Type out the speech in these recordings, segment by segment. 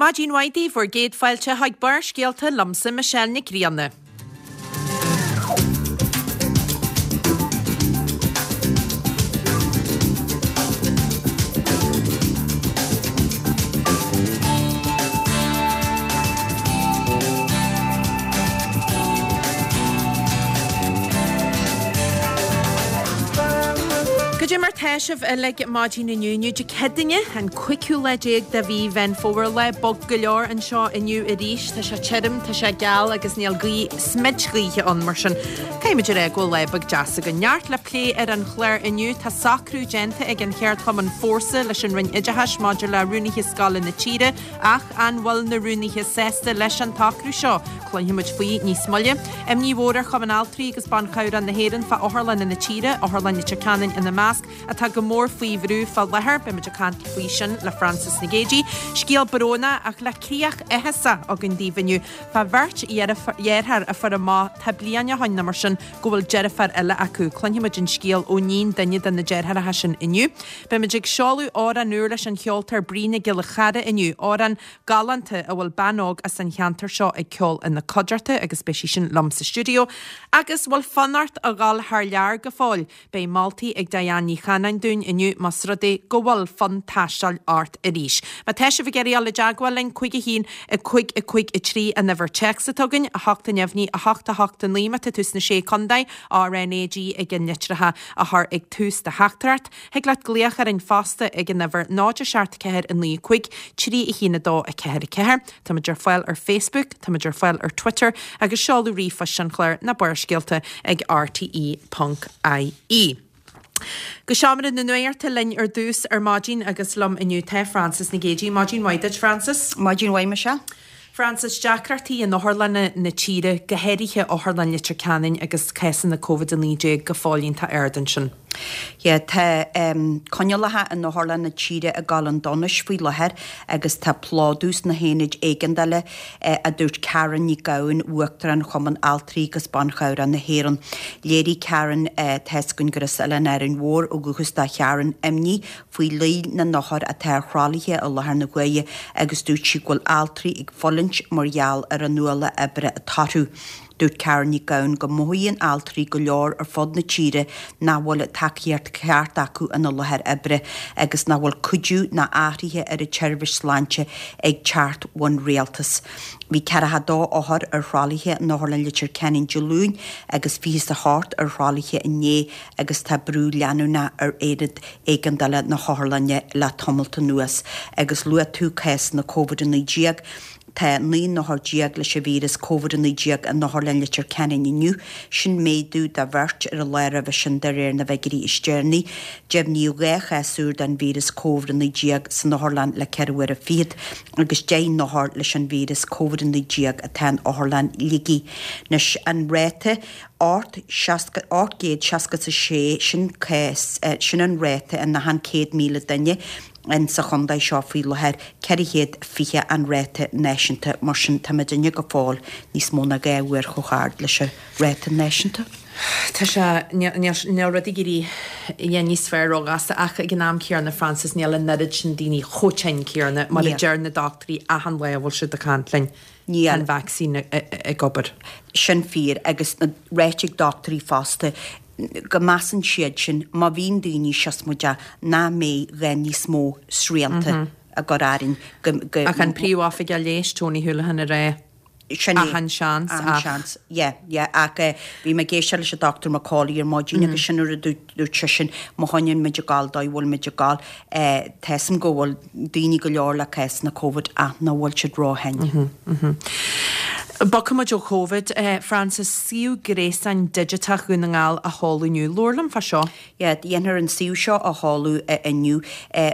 Maidin mhaith daoibh, bhur gcéad fáilte chuig Barrscéalta liomsa Michelle Nic Grianna. Goidé mar tá sibh uilig maidin inniu, inniu Dé Céadaoine, an cúigiú lá déag de mhí Mheán Fómhair. Lá bog go leor anseo inniu arís. Tá sé tirim, tá sé geal agus níl gaoth, smid gaoithe ann, mar sin caithfimid a rá go bhfuil lá beag deas againn. Neart le plé ar an chlár inniu. Tá socrú déanta ag an cheardchumann Fórsa leis an Roinn Oideachais maidir le rúnaithe scoile na tíre ach an bhfuil na rúnaithe sásta leis an tsocrú seo? Cluinfimid faoi níos moille. Imní mhór ar Chumann Altraí agus Ban Chabhrach na hÉireann fá otharlanna na tíre, Otharlann Leitir Ceanainn ina measc. atá go mór faoi bhrú fá láthair. Beimid ag caint faoi sin le Francis Nic Géadaigh. Scéal brónach ach le críoch áthasach againn daoibh inniu fá bheirt dheartháir a fuair amach tá bliain ó shoin nó mar sin go bhfuil deirfiúr eile acu. Cluinfimid an scéal ó níon duine de na deartháireacha sin inniu. Beimid ag seoladh amhrán úr leis an cheoltóir Brí Nic Giolla Chara inniu, amhrán galánta a bhfuil bean óg as an cheantar seo ag ceol ina cuideachta agus beidh sí sin liom sa stiúideo. Agus bhfuil fonn ort a dhul thar lear go fóill? Beidh moltaí ag Diane Ní Chanainn dúinn inniu más rud é go bhfuil fonn taistil ort arís. Má tá sibh ag iarraidh dul i dteagmháil linn, 5 1 5 5 3 an uimhir téacs atá againn, 8 neamhní 8 8 9 má tá tú sna Sé Contae, RNAG ag an litreacha a chur ag tús do theachtaireacht. Thig leat glaoch orainn fosta ag an uimhir 0 7 4 9 5 3 1 2 4 4. Táimid ar fáil ar Facebook, táimid ar fáil ar Twitter agus seoladh ríomhphoist an chláir ná Barrscéalta ag rte ponc ie. Go seomra na nuachta linn ar dtús ar maidin agus liom inniu tá Frances Nic Géadaigh. Maidin mhaith duit, Frances. Maidin mhaith, Michelle. Frances, deacrachtaí in otharlanna na tíre, go háirithe Otharlann Leitir Ceanainn agus cásanna Covid-19 go fóill iontach ard ansin. Yeah, tá coinníollacha in otharlanna na tíre ag dul chun donais faoi láthair agus tá plódú sna haonaid éigeandála, a dúirt Karen Nic Gabhann, Uachtarán Chumann Altraí agus Ban Chabhrach na hÉireann. Léirigh Karen, tá 'fhios againn gur as Oileán Árainn Mhór ó dhúchas do Sharon, imní faoi líon na n-othar atá ar thralaithe i láthair na huaire agus dúirt sí go bhfuil altraí ag fulaingt mar gheall ar an ualach oibre atá orthu. Dúirt Karen Nic Gabhann go mothaíonn altraí go leor ar fud na tíre nach bhfuil an tacaíocht cheart acu ina láthair oibre agus nach bhfuil cuidiú ná athruithe ar an tseirbhís sláinte ag teacht ón rialtas. Bhí 42 othar ar thralaithe in Otharlann Leitir Ceanainn Dé Luain agus 28 ar thralaithe inné agus tá brú leanúnach ar aonad éigeandála na hotharlainne le tamalt anuas agus luaigh tú cásanna Covid-19. Tá 19 n-othar leis an víreas Covid-19 in Otharlann Leitir Ceanainn inniu, sin méadú de bheirt ar an lá roimhe sin de réir na bhfigiúirí is deireanaí. Deimhníodh 2 chás úr den víreas Covid-19 san otharlann le ceithre huaire fichead agus 10 n-othar leis an víreas Covid-19 atá in Otharlann Shligigh. Anois an ráta 866, sin cás, sin an ráta in achan 100,000 duine. in sa chontae seo faoi láthair, 420 an ráta náisiúnta, mar sin tá muidinne go fóill níos mó ná 2 uair chomh hard leis an ráta náisiúnta. Tá sé, níl rud ag éirí níos fearr róghasta ach ag an am céanna, Frances, níl an oiread sin daoine chomh tinn céanna mar a deir na dochtúirí achan lá a bhfuil siad ag caint linn. Níl. Tá an vacsaín ag obair. Sin fíor agus ráite ag dochtúirí fosta go measann siad sin má bhíonn daoine siosmaideach nach mbeidh gá níos mó srianta a gcur orainn go go Ach an Príomhoifigeach Leighis Tony Holohan ag rá Sin é. achan seans Achan ach. seans. Yeah, yeah ach bhí mé ag éisteacht leis an Dr McCauley ar maidin agus sin an rud a dúirt seisean má choinníonn muid ag gabháil dóigh a bhfuil muid ag gabháil tá 'fhios a'm go bhfuil daoine go leor le cásanna Covid ach nach bhfuil siad ró-thinn. Bogfaidh muid ó Covid, Frances, suíomh gréasáin digiteach Dhún na nGall á sheoladh inniu. Labhair liom fá seo. Yeah, déanfar an suíomh seo a sheoladh inniu.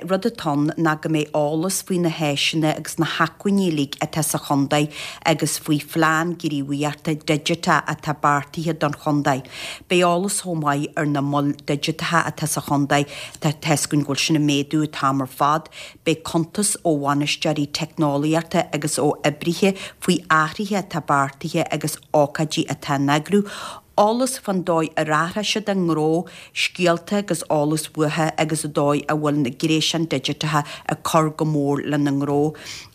Rud atá ann ná go mbeidh eolas faoi na háiseanna agus na hacmhainní uilig atá sa chontae agus faoi phlean gníomhaíochta digiteach atá beartaithe don chontae. Beidh eolas chomh maith ar na moil digiteacha atá sa chontae Tá 'fhios againn go bhfuil sin ag méadú an t-am ar fad. Beidh cuntas ó bhainisteoirí teicneolaíochta agus ó oibrithe faoi athruithe atá beartaithe agus ócáidí atá á n-eagrú, eolas fán dóigh ar athraigh siad a ngnó, scéalta agus eolas uathu agus an dóigh a bhfuil na gréasáin digiteacha ag cur go mór lena ngnó.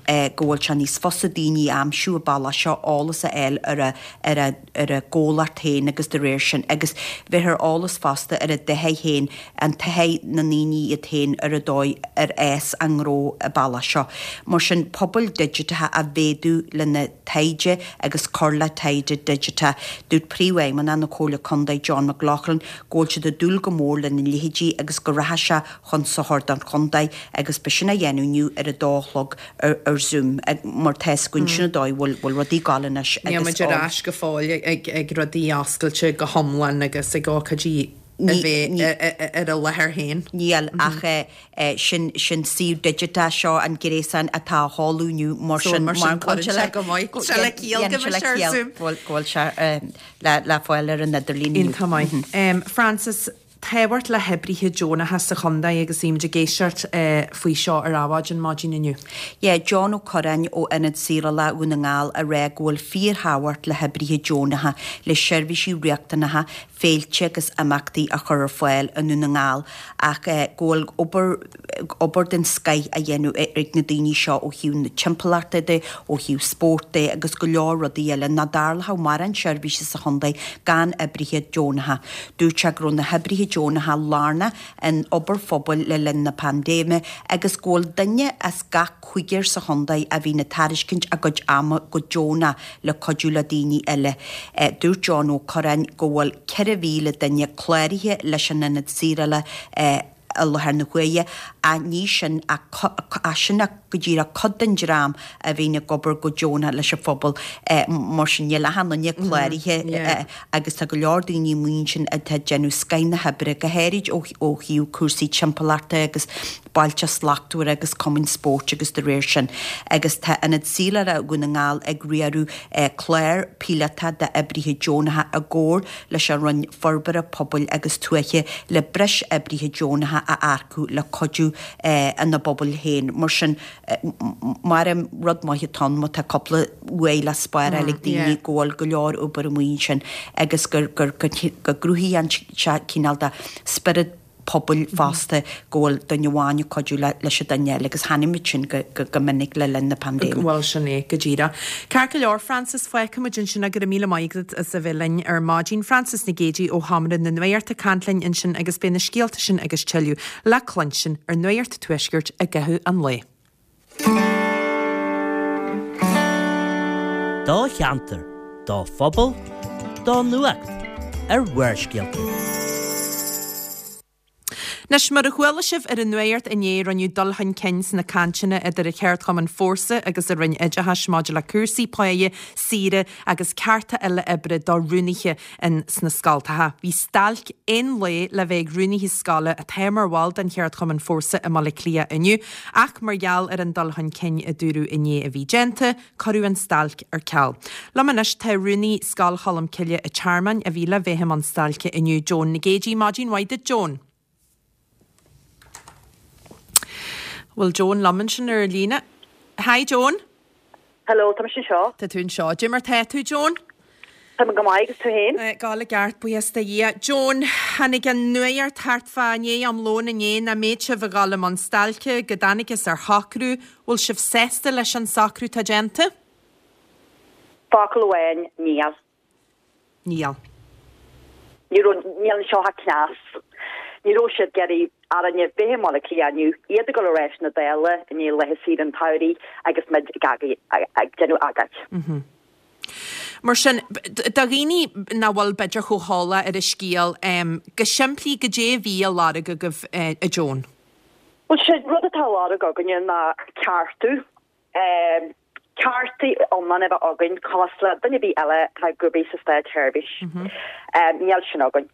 go bhfuil sé níos fusa daoine a aimsiú an bealach seo, eolas a fháil ar a ar a ar a gcomhlacht féin agus de réir sin agus bheith ar eolas fosta ar a dtaithí féin, an taithí na ndaoine iad féin ar an dóigh ar fhás a ngnó an bealach seo. Mar sin, pobail digiteacha a mhéadú lena taighde agus cur le taighde digiteach. Dúirt Príomhfheidhmeannach na Comhairle Contae John McLaughlin go bhfuil siad ag dúil go mór lena leithéidí agus go rachaidh sé chun sochair don chontae agus beidh sin á dhéanamh inniu ar a dó a chlog ar Zoom mar tá 'fhios againn sin an dóigh a bhfuil rudaí ag gabháil anois Níl agus muid ar ais go fóill ag rudaí oscailte go hiomlán agus ag ócáidí a bheith ar a láthair féin. Níl ach sin sin suíomh digiteach seo an gréasán atá á sheoladh inniu mar sin mar sin cuireann sé go maith. Sé le ciall go mbeidh sé ar Zoom. Go bhfuil sé le fáil ar an idirlíon inniu. Iontach maith. Frances, Tábhacht le hoibrithe deonacha sa chontae agus bhí muid ag éisteacht faoi seo ar Adhmhaidin maidin inniu. Yeah, John Ó Curráin ó Ionad Saorála Dhún na nGall a rá go bhfuil fíorthábhacht le hoibrithe deonacha le seirbhísí riachtanacha, féilte agus imeachtaí a chur ar fáil i nDún na nGall ach go bhfuil obair obair den scoith á dhéanamh ag na daoine seo ó thaobh na timpeallachta de, ó thaobh spóirt de agus go leor rudaí eile nach dtarlódh mórán seirbhíse sa chontae gan oibrithe deonacha. Dúirt sé go raibh na hoibrithe deonacha lárnach in obair phobail le linn na paindéime agus go bhfuil duine as gach cúigear sa chontae a bhíonn ag tairiscint a gcuid ama go deonach le cuidiú le daoine eile. Dúirt John Ó Curráin go bhfuil 4,000 duine cláraithe leis an Ionad Saorála i láthair na huaire ach ní sin ach sin ach go díreach cuid den dream a bhíonn ag obair go deonach leis an phobal. Mar sin níl achan duine cláraithe agus tá go leor daoine amuigh ansin atá ag déanamh scoith na hoibre, go háirid ó thaobh cúrsaí timpeallachta agus Bailte Slachtmhara agus cumainn spóirt agus de réir sin. Agus tá Ionad Saorála Dhún na nGall ag riaradh clár píolótach d'oibrithe deonacha i gcomhar leis an Roinn Forbartha Pobail agus Tuaithe le breis oibrithe deonacha a earcú le cuidiú ina bpobail féin. Mar sin, mar rud maith atá ann má tá cúpla uaidh le spáráil ag daoine go bhfuil go leor obair amuigh ansin agus go gcruthaíonn sé cineál de spiorad pobail fosta go bhfuil duine amháin ag cuidiú leis an duine eile agus chonaic muid sin go minic le linn na paindéime. Bhuel, sin é go díreach. Ceart go leor, Frances, fágfaidh muid ansin é. Go raibh míle maith agat as a bheith linn ar maidin. Frances Nic Géadaigh ó Sheomra na Nuachta ag caint linn ansin agus beidh na scéalta sin agus tuilleadh le cluinstin ar Nuacht an Tuaiscirt i gcaitheamh an lae. Do cheantar, do phobal, do nuacht ar Bharrscéalta. Anois, mar a chuala sibh ar an nuacht inné, rinneadh dul chun cinn sna cainteanna idir an cheardchumann Fórsa agus an Roinn Oideachais maidir le cúrsaí páighe, saoire agus cearta eile oibre do rúnaithe in sna scoltacha. Bhí stailc aon lae le bheith ag rúnaithe scoile atá mar bhall den cheardchumann Fórsa i mBaile Átha Cliath inniu ach mar gheall ar an dul chun cinn a dúradh inné a bhí déanta, cuireadh an stailc ar ceal. Liom anois tá rúnaí Scoil Cholmcille an Tearmainn a bhí le bheith i mbun stailce inniu, Joan Nic Géidigh. Maidin mhaith duit Joan. Bhfuil Joan liom ansin ar líne? Hi Joan. Hello, tá mise anseo. Tá tú anseo. Cad é mar tá tú, Joan? Tá mé go maith, agus tú féin? Ag gabháil i gceart, buíochas do Dhia. Joan, tháinig an nuacht thart fá i ndiaidh am lóin inné nach mbeadh sibh ag dul i mbun stailce, go dtángthas ar shocrú. Bhfuil sibh sásta leis an socrú atá déanta? Focal amháin, níl. Níl. Ní raibh, níl anseo ach cneas. Ní raibh siad ag iarraidh orainne bheith i mBaile Átha Cliath inniu, iad ag dul ar ais na Dála i ndiaidh laetha saoire an tsamhraidh agus muid ag ag déanamh agóid. Mar sin, do dhaoine nach bhfuil b'fhéidir chomh heolach ar an scéal, go simplí, goidé a bhí á lorg agaibh, a Joan? Bhuel, sé rud atá á lorg againne ná ceartú. Cearta iomlán a bheith againn cosúil le duine ar bith eile atá ag obair sa státsheirbhís. Níl sin againn.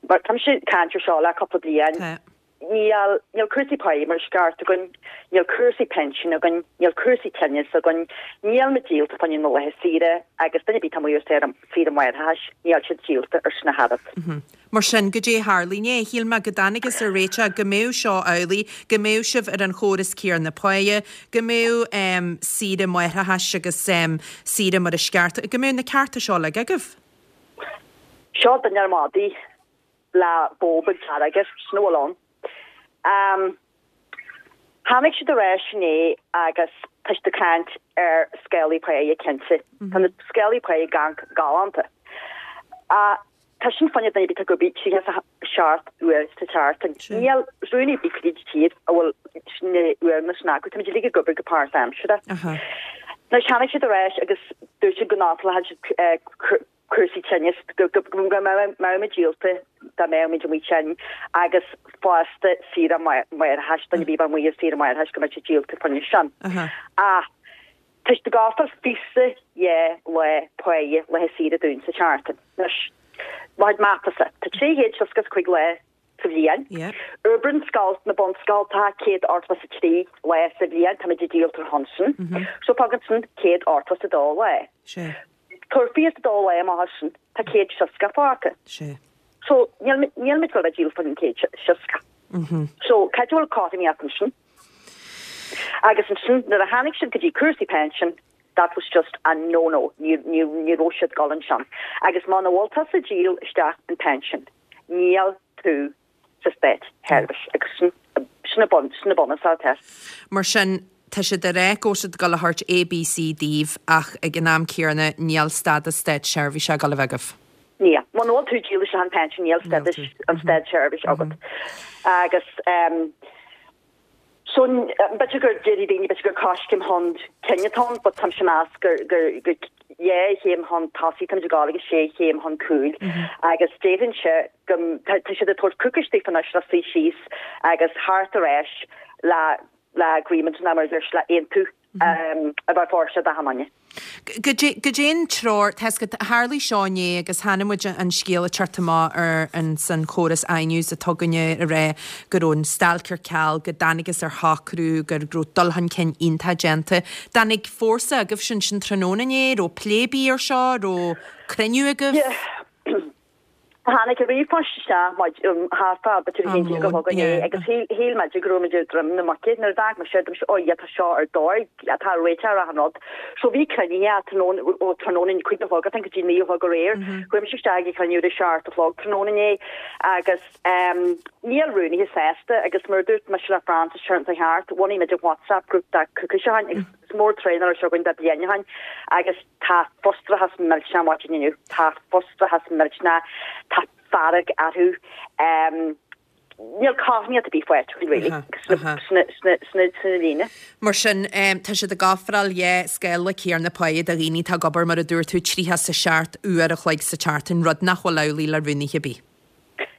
Mar táimse ag caint ar seo le cúpla bliain. Níl, níl cúrsaí páí mar is ceart againn, níl cúrsaí pinsin againn, níl cúrsaí tinnis againn, níl muid díolta fá choinne na laetha saoire agus duine ar bith atá amuigh ar saoire máithreachais, níl siad díolta air sin ach oiread. Mar sin, goidé a tharla inné? Shíl mé go dtángthas ar réiteach go mbeadh seo amhlaidh, go mbeadh sibh ar an chóras céanna páighe, go mbeadh saoire máithreachais agus saoire mar is ceart, go mbeadh na cearta seo uilig agaibh. Seo duine ar madaidh le bó beag dearg air, sin a bhfuil ann. Tháinig siad ar ais inné agus. Tá siad ag caint ar scálaí páighe cinnte. Tá na scálaí páighe ag amharc galánta. Ach tá sin fá choinne duine ar bith atá ag obair 37 uair sa tseachtain. Níl rúnaí ar bith fríd tír a bhfuil na uaireanna sin acu. Táimid uilig ag obair go páirtaimseartha. Now tháinig siad ar ais agus dúirt siad go n-ofrálfadh siad cúrsaí tinnis, go mbeadh muid díolta dá mbeadh muid amuigh tinn agus fosta saoire máithreachais, duine ar bith a bheadh amuigh ar saoire máithreachais go mbeadh siad díolta fá choinne sin. Ach tá siad ag ofráil 22 lá páighe laetha saoire dúinn sa tseachtain. Anois, mo chuid matasa, tá 365 lá sa bhliain. Oibreann scoil na bunscoltacha 183 lá sa bhliain, táimid díolta ar shon sin. So fágann sin 182 lá. Tabhair 22 lá amach as sin, tá 160 fágtha. So níl níl muid ag dul a bheith díolta faoin 160. So cá bhfuil cothromaíocht ansin? Agus ansin nuair a tháinig siad go dtí cúrsaí pension, that was just a no no, ní ní ní raibh siad ag dul ansin. Agus muna bhfuil tusa ag díol isteach an pension, níl tú sa státsheirbhís agus sin sin an bun sin an bunús atá. Mar sin, tá siad ag rá go bhfuil siad ag dul a thabhairt A, B, C daoibh ach ag an am céanna níl stádas státseirbhíse ag dul a bheith agaibh. Níl. Muna bhfuil tú ag díol isteach an pension níl stádas an státseirbhís agat. Agus ehm So, b'fhéidir gur déarfaidh daoine, b'fhéidir gur coiscéim chun cinn atá ann, but táimse ag meas gur, gur, gur dhá chéim chun tosaigh táimid ag gabháil agus sé chéim chun cúil. Agus déarfainnse go, tá, tá siad ag tabhairt coicís daofa anois le suí síos agus theacht ar ais le, le agreement nó mar a deir siad, le aontú a bheith fóirsteach d'achan duine. Goidé an treoir, tá 'fhios agat, tharlaigh seo inné agus chonaic muid an scéal ag teacht amach ar an san chóras iNews atá againne ag rá go raibh an stailc ar ceal, go dtángthas ar shocrú, go raibh dul chun cinn iontach déanta. Dtáinig fórsa agaibhse ansin tráthnóna inné, raibh plé ar bith ar seo, raibh cruinniú agaibh? Yeah. Tháinig an ríomhphost isteach thart fá b'fhéidir 11 a chlog inné agus shíl muid go raibh muid ar droim na muice. Nuair a d'amharc mise, dúirt mise, oh yeah, tá seo ar dóigh, tá réiteach ar achan rud. So bhí cruinnithe tráthnóna, ó tráthnóna 5 a chlog I think go dtí 9 a chlog aréir. Chuaigh mise isteach ag an chruinniú ar a 7 a chlog tráthnóna inné agus níl rúnaithe sásta agus mar a dúirt mise le Francis ar an cheart, bhunaigh muid an WhatsApp group de coicís ó shin agus is mór traenáil seo againn de bliain ó shin agus tá frustrachas millteanach maidin inniu. Tá frustrachas millteanach, tá fearg orthu. Níl cothromaíocht ar bith faighte againn really sna líne. Mar sin, tá siad ag ofráil dhá scála céanna páighe do dhaoine atá ag obair, mar a dúirt tú, 37 uair a chloig sa tseachtain, rud nach bhfuil amhlaidh le rúnaithe ar bith.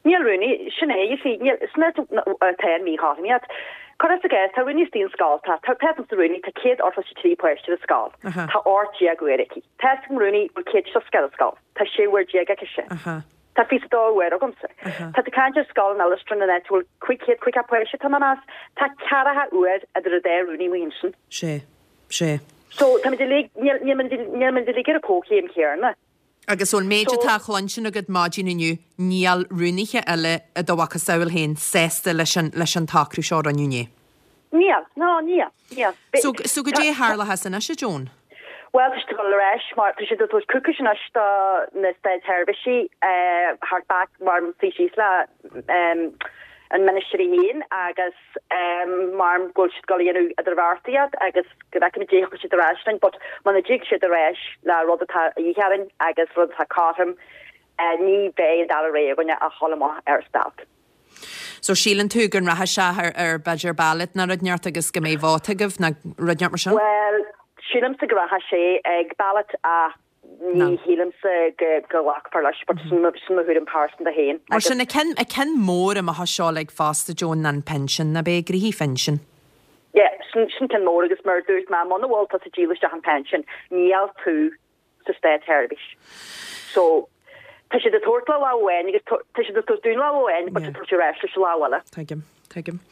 Níl rúnaí, sin é, you see, níl, sin é atá an mhíchothromaíocht. Cuir i gcás, tá rúnaí istigh in scoil, tá, tá, tá sa rúnaí, tá 183 páiste ar scoil, tá 18 uair aici. Tá an rúnaí bhfuil 160 ar scoil, tá 16 uair aici sin. Tá 22 uair agamsa. Tá tú ag caint ar scoil in Oileastran in áit a bhfuil 550 páiste, tá mé ag meas, tá ceathracha uair idir an dá rúnaí amuigh ansin. Sé, sé. So, táimid uilig, níl, níl muid, níl muid uilig ar an comhchéim chéanna. Agus ón méid atá á chluinstin agat maidin inniu, níl rúnaithe eile i do mhacasamhail féin sásta leis an leis an tsocrú seo a rinneadh inné. Níl, ná níl, níl. So, so goidé a tharlóchas anois, a Joan? Bhuel, tá siad ag dul ar ais mar tá siad ag tabhairt coicís anois do na státseirbhísigh theacht back mar suí síos le an ministir í féin agus Maram go bhfuil siad ag dul a dhéanamh idirbheartaíocht agus go bhfeicfimid dé thiocfaidh siad ar ais linn but muna dtig siad ar ais le rud atá a dhíth orainn agus rud atá cothrom ní bheidh an dara rogha againne ach dhul amach ar stailc. So síleann tú go rachaidh sé ar ar b'fhéidir ballot nó rud inteacht agus go mbeidh vóta agaibh nó rud inteacht mar sin? Bhuel, sílimse go rachaidh sé ag ballot ach Ní shílimse go nglacfar leis, but sin mo thuairim pearsanta féin. Mar sin, an ceann, an ceann mór amach as seo uilig fosta, Joan, ná an pinsean, ná beidh gnoithí phinsin. Yeah, sin, sin ceann mór agus mar a dúirt mé, muna bhfuil tusa ag díol isteach an pension, níl tú sa státsheirbhís. So, tá siad ag tabhairt le lámh amháin agus tá siad ag tabhairt dúinn lámh amháin but ag tabhairt ar ais leis an lámh eile. Tuigim, tuigim.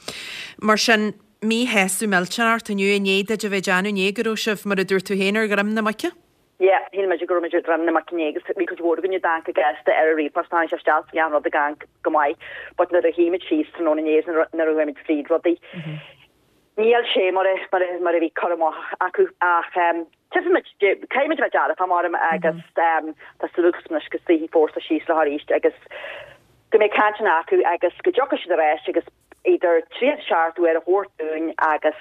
Mar sin, míshásamh millteanach ort inniu, i ndiaidh duit a bheith ag déanamh inné go raibh sibh, mar a dúirt tú féin, ar dhroim na muice? Yeah, shíl muid go raibh muid ar dhroim na muice inné agus bhí cuid mhór againne ag amharc go gasta ar an ríomhphost, tháinig sé isteach bhí an rud ag amharc go maith but nuair a shuigh muid síos tráthnóna inné is nuair a chuaigh muid fríd rudaí, níl sé mar a, mar a, mar a bhí cur amach acu ach tchífidh muid, caithfidh muid a bheith dearfach maram agus tá súil agam anois go suífidh fórsa síos leo arís agus go mbeidh cainteanna acu agus go dtiocfaidh siad ar ais agus idir 37 uair a thabhairt dúinn agus.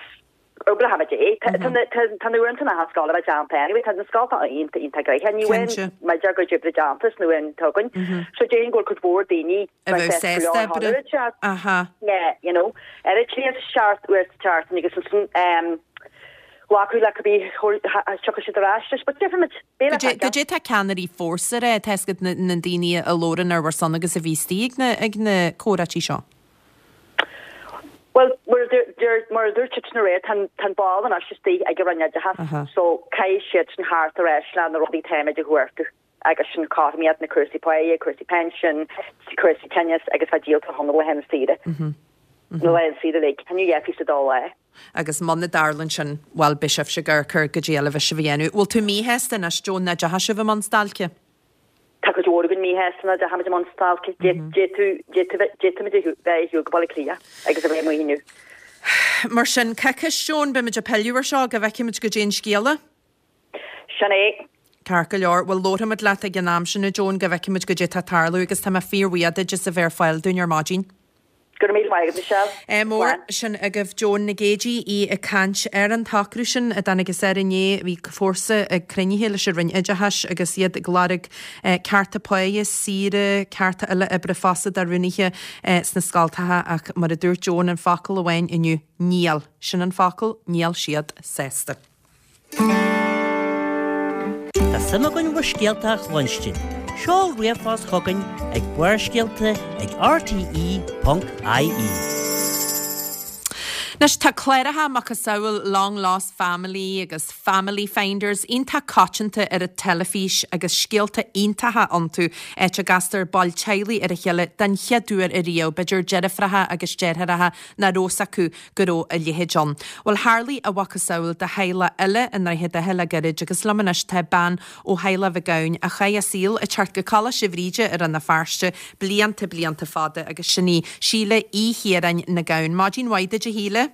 Oibreochaimid é. Tá na uaireanta na scoile a bheith déanta anyway, tá na scoltacha iontach iontach gnoitheach. Ní bhfuil muid ár gcuid oibre déanta sna uaireanta againn. So déarfainn go bhfuil cuid mhór daoine a bheadh sásta oibriú. Aha. Yeah, you know. Ar a trí is seacht uair sa tseachtain agus ansan glacadh le cibé tiocfaidh siad ar ais leis, but déarfaimid, beidh le feiceáil. Goidé tá ceannairí Fórsa a rá, tá fhios agat na daoine a labhrann ar bhur son agus a bhí istigh ag na comhráití seo? Bhuel, mar a dúirt siadsan aréir, tá an ball anois istigh ag an Roinn Oideachais so caithfidh siadsan theacht ar ais le na rudaí táimid a chuartú agus sin cothromaíocht na cúrsaí páighe, cúrsaí pension, cúrsaí tinneas agus bheith díolta chun na laethanta saoire. Na laethanta saoire uilig, tá New Year sa dá lá. Agus muna dtarlann sin, bhuel, beidh sibhse ag amharc ar goidé eile a bheidh sibh a dhéanamh. Bhfuil tú míshásta anois, Joan, nach dteachaidh sibh i mbun stailce? Tá cuid mhór againn míshásta nach dteachaimid i mbun stailce. D'fhéadfaimid a bheith ar shiúl go Baile Átha Cliath agus a bheith amuigh inniu. Mar sin, coicís, Joan, beimid ag pilleadh ar seo go bhfeicfimid goidé an scéala. Sin é. Ceart go leor. Bhuel, labharfaimid leat ag an am sin, a Joan, go bhfeicfimid goidé atá ag tarlú agus tá mé fíorbhuíoch duit as a bheith ar fáil dúinn ar maidin. Go raibh míle maith agat, Michelle. Ádh mór. Sin agaibh Joan Nic Géidigh, í ag caint ar an tsocrú sin a dtáinig as ar inné. Bhí Fórsa ag cruinnithe leis an Roinn Oideachais agus iad ag lorg cearta páighe, saoire, cearta eile oibre fosta do rúnaithe sna scoltacha ach mar a dúirt Joan an focal amháin inniu, níl. Sin an focal, níl siad sásta. Tá suim againn bhur scéalta a chluinstin. Seol ríomhphost chugainn ag Barrscéalta ag rte.ie. Anois tá cláracha macasamhail Long Lost Family agus Family Finders iontach coitianta ar an teilifís agus scéalta iontacha iontu, áit a gcastar baill teaghlaigh ar a chéile den chéad uair ariamh, b'fhéidir deirfiúracha agus deartháireacha nach raibh fhios acu go raibh a leithéid ann. Bhuel, tharlaigh a mhacasamhail do theaghlach eile i nDroichead Átha le gairid agus liom anois tá bean ó theaghlach Mhic Gabhann a chaith a saol ag teacht go Coláiste Bhríde i Rann na Feirste blianta, blianta fada agus sin í Síle Uí Chiaráin Nic Gabhann. Maidin mhaith duit a Shíle.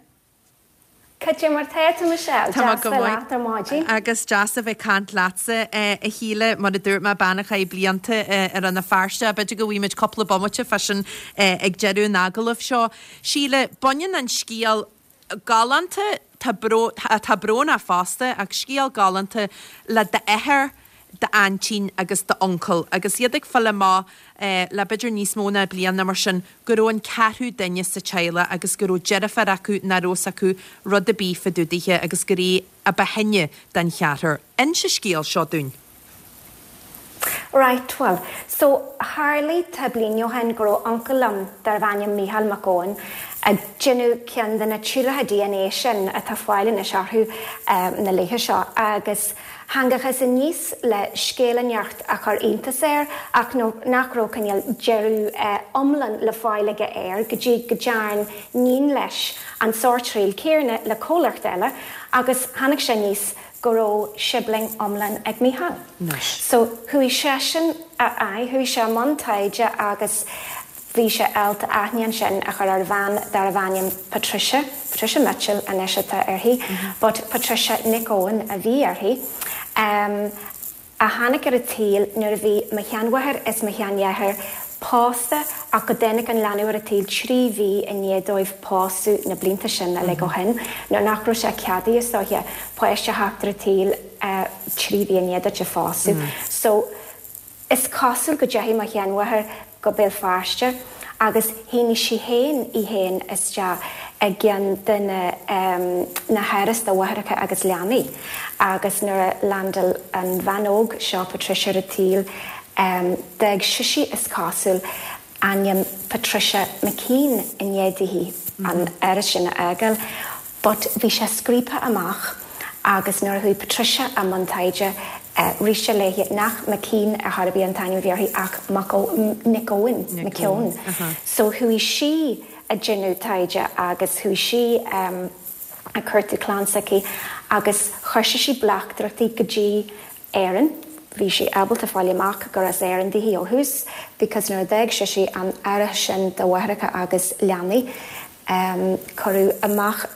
Cad é mar tá tú, Michelle? Tá mé Deas go bheith maith. leat ar maidin. Agus deas a bheith ag caint leatsa, a Shíle. Mar a dúirt mé, bean a chaith blianta i Rann na Feirste. B'fhéidir go bhfaighimid cúpla bomaite fá sin ag deireadh an agallaimh seo. Síle, baineann an scéal galánta, tá bró, atá brónach fosta, ach scéal galánta le d'athair, d'aintín agus d'uncail agus iad ag fáil amach le b'fhéidir níos mó ná bliain nó mar sin go raibh an ceathrú duine sa teaghlach agus go raibh deirfiúr acu nach raibh fhios acu rud ar bith fá dtaobh dithe agus gur í a ba shine den cheathrar. Inis an scéal seo dúinn. Right, bhuel, so tharlaigh tá bliain ó shin go raibh uncail liom darbh ainm Mícheál Mac Gabhann ag déanamh ceann de na trialacha DNA sin atá fáil anois orthu na laetha seo agus thángachas aníos le scéal inteacht a chuir iontas air ach nach raibh cineál deireadh iomlán le fáil aige air go dtí go dtearn níon leis an sórt triail céarna le comhlacht eile agus tháinig sé aníos go raibh sibling iomlán ag Mícheál. So chuaigh seisean, aye, chuaigh sé i mbun taighde agus bhí sé ábalta aithne ansin a chur ar bhean darbh ainm Patricia, Patricia Mitchell anois atá uirthi, but Patricia Nic Eoin a bhí uirthi. Em. a tháinig ar an tsaol nuair a bhí mo sheanmháthair is mo sheandheartháir pósta ach go dtáinig an leanbh ar an tsaol 3 mhí i ndiaidh dóibh pósadh na blianta sin uilig ó shin, nuair nach raibh sé ceadaithe is dóiche páiste a theacht ar an tsaol 3 mhí i ndiaidh duit a phósadh. So. Is cosúil go dteachaigh mo sheanmháthair go Béal Feirste agus shínigh sí féin í féin isteach i gceann de na na háras do mháithreacha agus leanaí agus nuair a landáil an bhean óg seo Patricia ar an tsaol d'fhág sise is cosúil ainm Patricia McKean i ndiaidh dithe an áras sin a fhágáil but bhí sé scríobtha amach agus nuair a chuaigh Patricia i mbun taighde rith sé léi nach McKean ar chor ar bith an t-ainm a bhí uirthi ach Mac Nic Eoin, McKeown. So chuaigh sí ag déanamh taighde agus chuaigh sí ag cuartú clann s'aici agus chuir sise bleachtaireachtaí go dtí Éirinn. Bhí sí ábalta fáil amach gur as Éirinn daoithi ó thús because nuair a d'fhág sise an áras sin do mháithreacha agus leanaí, cuireadh amach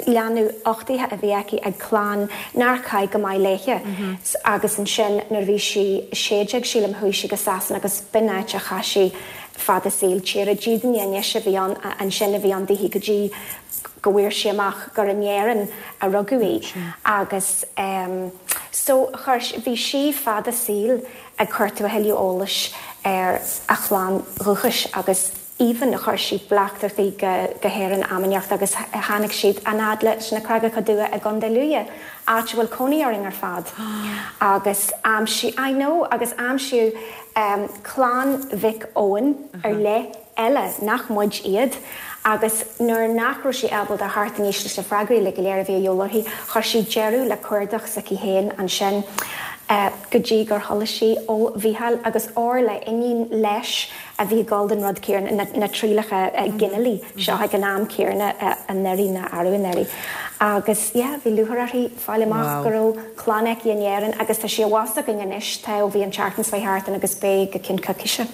leanbh uchtaithe a bhí aici ag clann nár chaith go maith léithe agus ansin nuair a bhí sí 16 sílim chuaigh sí go Sasana agus b'in áit a chaith sí fad a saoil. Tír a dídine anois a bhí ann ansin a bhí ann daoithi go dtí. go bhfuair sí amach gur in Éirinn a rugadh í agus so chuir, bhí sí fad a saoil ag cuartú a thuilleadh eolais ar a chlann dhúchais agus even chuir sí bleachtaireachtaí go hÉirinn am inteacht agus tháinig siad an fhad leis na Creagacha Dubha i gContae Lú, áit a bhfuil cónaí orainn ar fad agus aimsíodh, I know, agus aimsíodh clann Mhic Eoin ar leith eile nach muid iad agus nuair nach raibh sí ábalta a theacht aníos leis na freagraí uilig go léir a bhí a dhíobháil uirthi, chuir sí deireadh le cuardach s'aici féin ansin go dtí gur chuala sí ó Mhícheál agus Orla, iníon leis a bhí ag dul don rud céanna, na trialacha ginealaigh seo ag an am céanna anuraidh nó arú anuraidh. Agus yeah, bhí lúcháir uirthi fáil amach go raibh clann aici in Éirinn agus tá sí abhus againn anois, tá ó bhí an tseachtain seo thart ann agus beidh go ceann coicíse.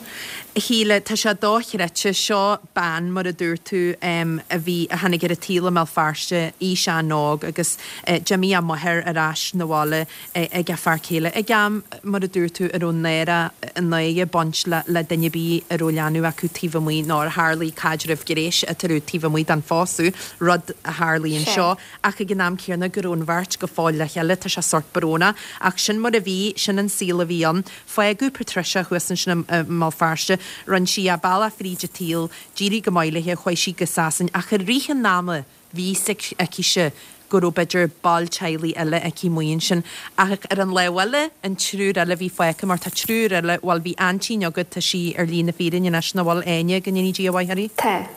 A Shíle, tá sé dochreidte, seo bean, mar a dúirt tú, a bhí, a tháinig ar an tsaol i mBéal Feirste, aois an-óg agus d'imigh a máthair ar ais 'na bhaile ag a fear céile ag am, mar a dúirt tú, a raibh náire, náire ag baint le le duine ar bith a raibh leanbh acu taobh amuigh nó ar tharlaigh caidreamh gnéis eatarthu taobh amuigh den phósadh, rud a tharlaigh anseo, ach ag an am céanna go raibh an bheirt go fóill le chéile, tá sé sórt brónach. Ach sin mar a bhí, sin an saol a bhí ann. Fágadh Patricia thuas ansin i mBéal Feirste, rinne sí a bealach fríd an tsaol, d'éirigh go maith léi, chuaigh sí go Sasain, ach i rith an ama, Bhí fhios aicise go raibh b'fhéidir ball teaghlaigh eile aici amuigh ansin. Ach ar an lámh eile, an triúr eile a bhí fágtha, mar tá triúr eile, bhuel bhí aintín agat, tá sí ar shlí na fírinne anois, nach bhfuil, Áine, go ndéanaí Dia a mhaith uirthi? Tá.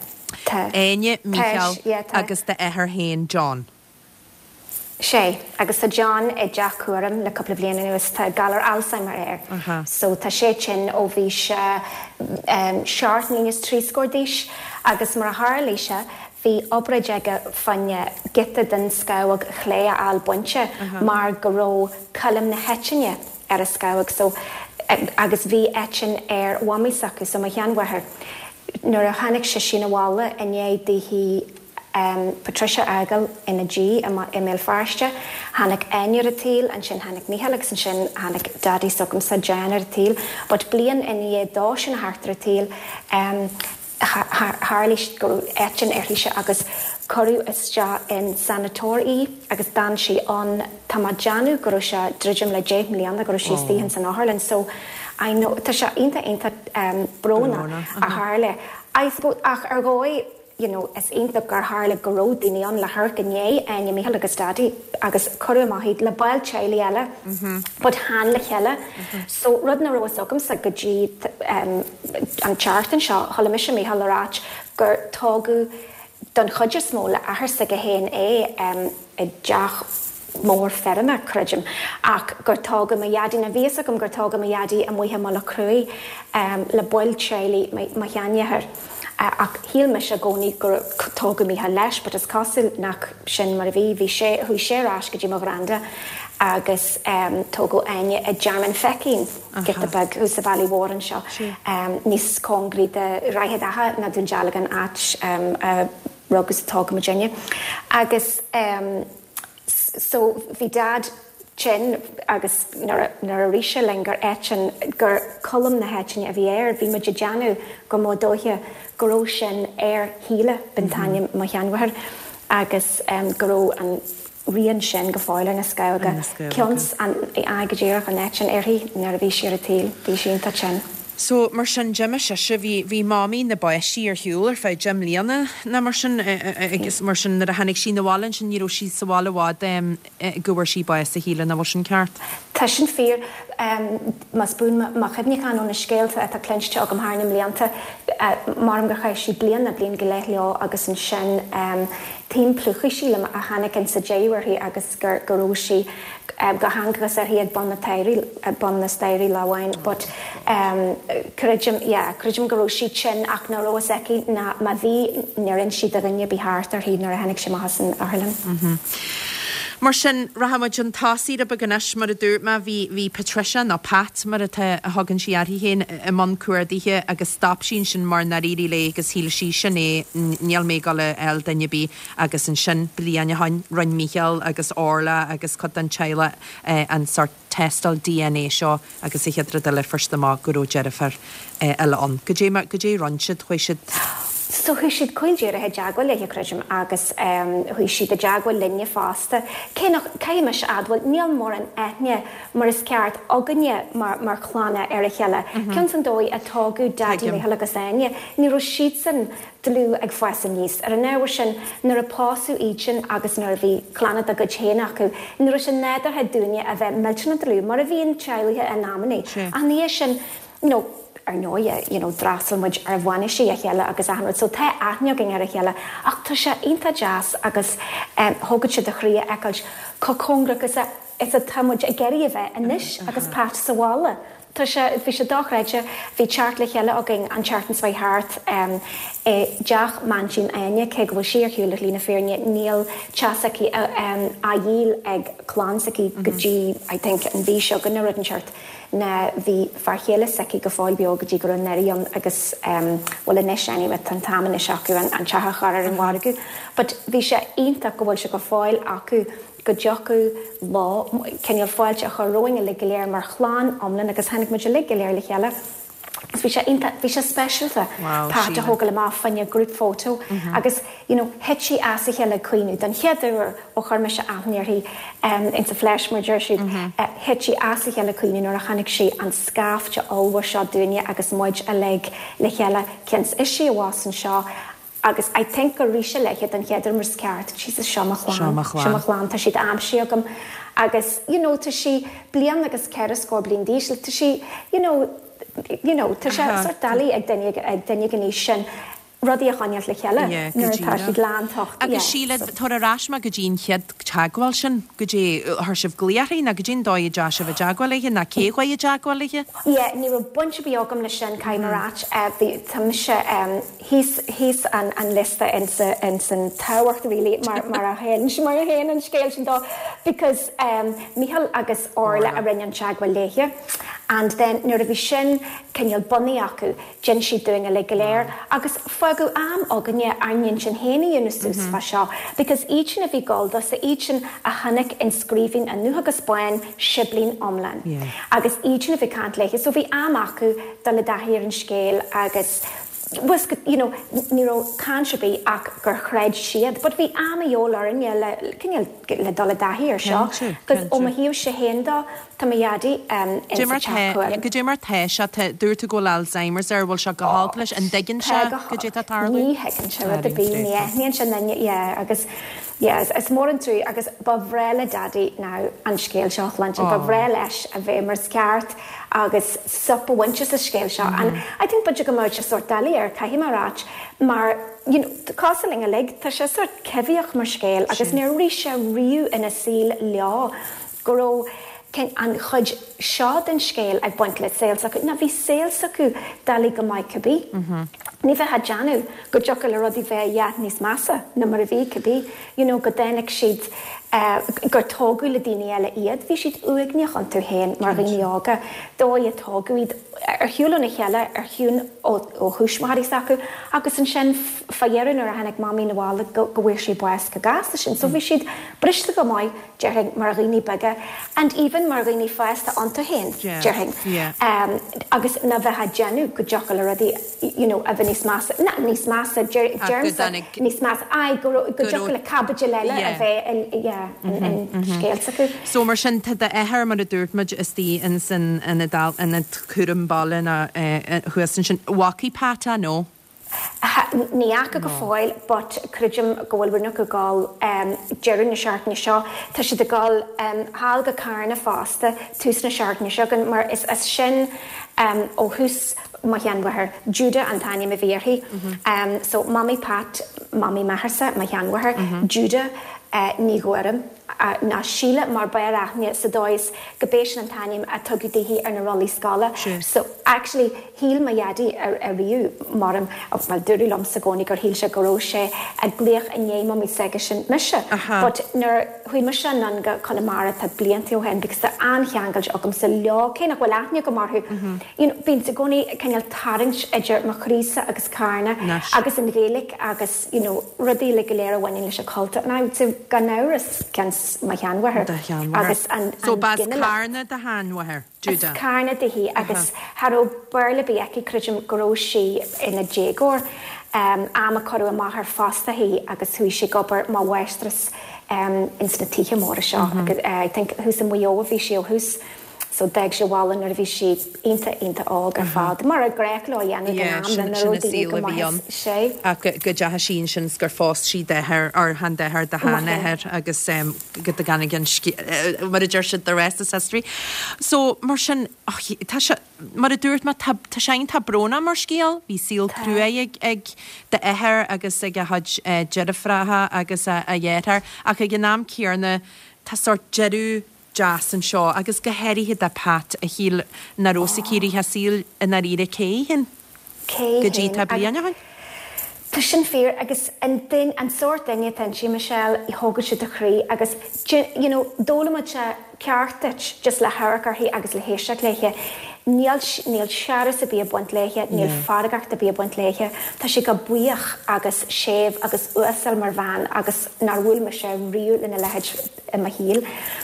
Tá. Áine, Mícheál agus d'athair féin, John. Sé, agus tá John i dteach cúraim le cúpla bliain anuas, tá galar Alzheimer air. So tá sé tinn ó bhí sé seacht mbliana is trí scór d'aois agus mar a tharlaigh sé, bhí obráid aige fá choinne giota den scamhóg chlé a fháil bainte mar go raibh coilm na heitinne ar a scamhóg so agus bhí eitinn ar mhamaí s'acu so mo sheanmháthair nuair a tháinig sise 'na bhaile i ndiaidh daoithi Patricia a fhágáil ina diaidh i mBéal Feirste tháinig Áine ar an tsaol ansin tháinig Mícheál agus ansin tháinig Daidí s'agamsa John ar an tsaol but bliain i ndiaidh dó sin a theacht ar an tsaol Tharlaigh go raibh eitinn uirthise agus cuireadh isteach in sanatóir í agus d'fhan sí ann, tá mé ag déanamh go raibh sé druidim le 10 mbliana go raibh sí istigh ins an otharlann so I know tá sé iontach iontach brónach a tharla I suppose ach ar dhóigh you know is iontach gur tharla go raibh daoine ann le hamharc i ndiaidh Áine, Mícheál agus Daidí agus cuireadh amach iad le baill teaghlaigh eile but chan le chéile so rud nach raibh fhios agamsa go dtí An tseachtain seo, chuala mise Mícheál ag ráit gur tógadh don chuid is mó le athair s'aige féin é i dteach mór feirme, creidim, ach gur tógadh mo dhaidí, nó bhí fhios agam gur tógadh mo dhaidí amuigh i Mullach Cruaidh le baill teaghlaigh mo sheanmháthar. Ach shíl mise i gcónaí gur tógadh Mícheál leis, but is cosúil nach sin mar a bhí. Bhí sé, chuaigh sé ar ais go dtí mo ghranda agus tógadh Áine i dTearmann Feichín. giota beag thuas sa Bhealaigh Mhór anseo, níos cóngaraí do Dhroichead Átha ná Dún Dealgan, áit a rugadh is a tógadh muidinne. Agus so bhí Dad tinn agus nuair a rith sé linn gur eitinn, gur coilm na heitinne a bhí air, bhí muid ag déanamh go mba dóiche go raibh sin ar Shíle, b'in t-ainm mo sheanmháthar, agus go raibh an rian sin go fóill ar na scamhóga. Cionn 's an, aye go díreach, an eitinn uirthi nuair a bhí sí ar an tsaol. Bhí sí iontach tinn. So, mar sin, d'imigh sise, bhí, bhí Mamaí na bpáistí ar shiúl ar feadh deich mbliana nó mar sin agus mar sin nuair a tháinig sí 'na bhaile ansin ní raibh sí sa bhaile i bhfad go bhfuair sí bás, a Shíle, nach bhfuil sin ceart? Tá sin fíor. Más buan mo chuimhneachán ó na scéalta atá cluinste agam thar na mblianta, maram gur chaith sí bliain nó bliain go leith leo agus ansin Taom plúchaidh sílim a tháinig insa deireadh uirthi agus gur go raibh sí go thángthas uirthi ag bun na staighrí bun na staighrí lá amháin but creidim yeah creidim go raibh sí tinn ach nach raibh fhios aici ná má bhí níor inis sí do dhuine ar bith thart uirthi nuair a tháinig sí amach as an otharlann. Mar sin, rachaidh muid chun tosaigh rud beag anois, mar a dúirt mé, bhí, bhí Patricia, nó Pat mar atá, a thugann sí uirthi féin, i mbun cuardaithe agus stop sí ansin mar nár éirigh léi agus shíl sí, sin é, níl mé ag dul a fháil duine ar bith agus ansin, bliain ó shin, rinne Mícheál agus Orla agus cuid den teaghlach an sórt tástáil DNA seo agus an chéad rud eile fuair siad amach go raibh deirfiúr eile ann. Goidé mar, goidé a rinne siad, chuaigh siad. So chuaigh siad caol díreach i dteagmháil léi, creidim, agus chuaigh siad i dteagmháil linne fosta. Cé nach, caithfidh mise a admháil, níl mórán aithne mar is ceart againne mar, mar chlanna ar a chéile. Cionn is an dóigh a tógadh Daidí Mícheál agus Áine, ní raibh siadsan dlúth ag fás aníos. Ar an ábhar sin, nuair a pósadh iadsan agus nuair a bhí clanna dá gcuid féin acu, ní raibh sé nádúrtha dúinne a bheith millteanach dlúth, mar a bhíonn teaghlaigh in amannaí. Ach ina dhiaidh sin, you know, ar ndóighe, you know, d'fhreastail muid ar bhainisí a chéile agus achan rud, so tá aithne againn ar a chéile ach tá sé iontach deas agus thógfadh sé do chroí a fheiceáilt chomh cóngarach is a, is atá muid ag iarraidh a bheith anois agus Pat sa bhaile. Tá sé, bhí sé dochreidte, bhí teacht le chéile againn an tseachtain seo thart i dteach m'aintín Áine, cé go bhfuil sí ar shiúl le shlí na fírinne, níl teach s'aici á dhíol ag clann s'aici go dtí, I think, an mhí seo chugainn nó rud inteacht. Ná bhí fear chéile s'aici go fóill beo go dtí go raibh Nery ann agus bhuel anois anyway tá an t-am anois acu an teach a chur ar an mhargadh but bhí sé iontach go bhfuil sé go fóill acu go dtiocfadh leo cineál fáilte a chur romhainn uilig go léir mar chlann iomlán agus tháinig muid uilig go léir le chéile agus bhí sé iontach, bhí sé speisialta Pat a thógáil amach fá choinne group photo agus you know thit sí as a chéile ag caoineadh don chéad uair ó chuir mise aithne uirthi in the flesh mar a deir siad, thit sí as a chéile ag caoineadh nuair a chonaic sí an scaifte ollmhór seo dúinne agus muid uilig le chéile cionn is ise abhus anseo Agus I think gur rith sé léithe don chéad uair mar is ceart, Jesus seo mo chlann, seo mo chlann, tá siad aimsithe agam agus you know tá sí bliain agus ceithre scór bliain d'aois, like tá sí you know, you know tá sé sort doiligh ag duine ag duine ag an aois sin rudaí a choinneáilt le chéile nuair atá siad lántocht, yeah. Agus Síle, tabhair ar ais mé go dtí an chéad teagmháil sin, goidé, chuir sibh glaoch uirthi nó goidé an dóigh a dteachaigh sibh i dteagmháil léithe nó cé chuaigh i dteagmháil léithe? Yeah, ní raibh baint ar bith agam leis sin, caithfidh mé a ráit, bhí, tá mise, thíos thíos an an liosta ins ins an tábhacht really mar mar a théann mar a théann an scéal sin dó because um Mícheál agus Orla a rinne an teagmháil léithe and then nuair a bhí sin cineál bunaithe acu d'inis siad dúinn uilig go léir agus fágadh am againne ár n-intinn féin a dhéanamh suas fá seo because iad sin a bhí ag gabháil dó so iad sin a chonaic an scríbhinn i ndubh agus bán siblín iomlán agus iad sin a bhí ag caint léithe so bhí am acu dul i dtaithí ar an scéal agus was you know ní raibh caint ar bith ach gur chreid siad but bhí am a dhíobháil orainne le cineál le dul i dtaithí ar seo 'cause ó mo thaobhse féin dó tá mo dhaidí in sa teach cúraim. Goidé mar tá sé, tá, dúirt tú go bhfuil Alzheimer's air, bhfuil sé go holc leis, an dtuigeann sé goidé tá ag tarlú? Ní thuigeann sé rud ar bith, ní aithníonn sé duine, yeah agus yeah is mór an trua agus ba bhreá le Daidí now an scéal seo a chluinstin, ba bhreá leis a bheith mar is ceart agus sop a bhaint as an scéal seo and I think b'fhéidir go mbeadh sé sórt doiligh air, caithfidh mé a ráit, mar you know cosúil linn uilig, tá sé sórt coimhthíoch mar scéal agus níor rith sé riamh ina saol leo go raibh an chuid seo den scéal ag baint le saol s'acu. Ná bhí saol s'acu doiligh go maith cibé. Ní bheifeá ag déanamh go dtiocfadh le rudaí bheith a dhath níos measa ná mar a bhí cibé, you know go dtáinig siad gur tógadh le daoine eile iad. Bhí siad uaigneach iontu féin mar dhaoine óga, dóigh a tógadh iad ar shiúl óna chéile, ar shiúl ó thuismitheoirí s'acu agus ansin fá dheireadh nuair a tháinig Mamaí 'na bhaile go bhfuair sí bás go gasta sin. So bhí siad briste go maith déarfainn mar dhaoine beaga and even mar dhaoine fásta iontu féin déarfainn agus ná bheifeá ag déanamh go dtiocfadh le rudaí you know a bheith níos measa, not níos measa, deirimse níos measa, aye go raibh, go dtiocfadh le caibidil eile a bheith in, yeah, in scéal s'acu. So mar sin tá d'athair mar a dúirt muid istigh ins an ionad ionad cúram baile nó thuas ansin. Bhfacaidh Pat é nó? Ní fhaca go fóill but creidim go bhfuil roinnt acu ag dul deireadh na seachtaine seo. Tá siad ag dul thall go Carna fosta tús na seachtaine seo chugainn mar is as sin ó thús mo sheanmháthair. Judah an t-ainm a bhí uirthi. So Mamaí Pat, Mamaí m'atharsa, mo sheanmháthair, Judah Ní Ghuairim. ná Síle mar b'fhearr aithne sa dóigh is go b'é sin an t-ainm a tugadh daoithi ar na rollaí scoile. So, actually, shíl mo dhaidí ariamh, maram, bhuel, dúradh liomsa i gcónaí gur shíl sé go raibh sé ag glaoch i ndiaidh mamaí s'aigesean mise. But nuair chuaigh mise anonn go Conamara tá blianta ó shin because tá an-cheangailt agamsa leo, cé nach bhfuil aithne agam orthu, you know, bíonn i gcónaí cineál tarraingt idir mo chroísa agus Carna agus an Ghaeilge agus, you know, rudaí uilig go léir a bhaineann leis an chultúr and I would say gan amhras cionn is mo sheanmháthair Do sheanmháthair. agus an So b'as ginealach. Carna do sheanmháthair, As Carna daoithi agus cha raibh Béarla ar bith aici, creidim go raibh sí ina déagóir. Am a cuireadh amach ar phostach í agus chuaigh sí ag obair mar mháistreas ins na tithe móra seo. I think thuas i Maigh Eo a bhí sí ó thús. So d'fhág sí an baile nuair a bhí sí iontach iontach óg ar fad, mar a gnách leo a dhéanamh ag an am nuair a raibh daoine go maith is sé. Ach go dteachaigh sí ansin is gur phós sí d'athair, or chan d'athair, do sheanathair agus go dtáinig an scéal, mar a deir siad, the rest is history. So mar sin, tá sé, mar a dúirt mé, tá tá sé iontach brónach mar scéal. Bhí saol cruaidh ag ag d'athair agus ag a chuid deirfiúracha agus a dheartháir ach ag an am céanna tá sórt deireadh deas anseo agus go háirithe do Pat a shíl nach raibh sa círí a saol i ndáiríre cé hé Cé go dtí tá bliain ó shin. Tá sin fíor agus an duine, an sórt duine atá inti, Michelle, thógfadh sé do chroí agus you know d'fhoghlaimeodh sé ceacht duit just le hamharc uirthi agus le héisteacht léithe. Níl, níl searbhas ar bith ag baint léithe, níl feargacht ar bith ag baint léithe. Tá sí chomh buíoch agus séimh agus uasal mar bhean agus nár bhuail mise riamh lena leithéid. i mo shaol.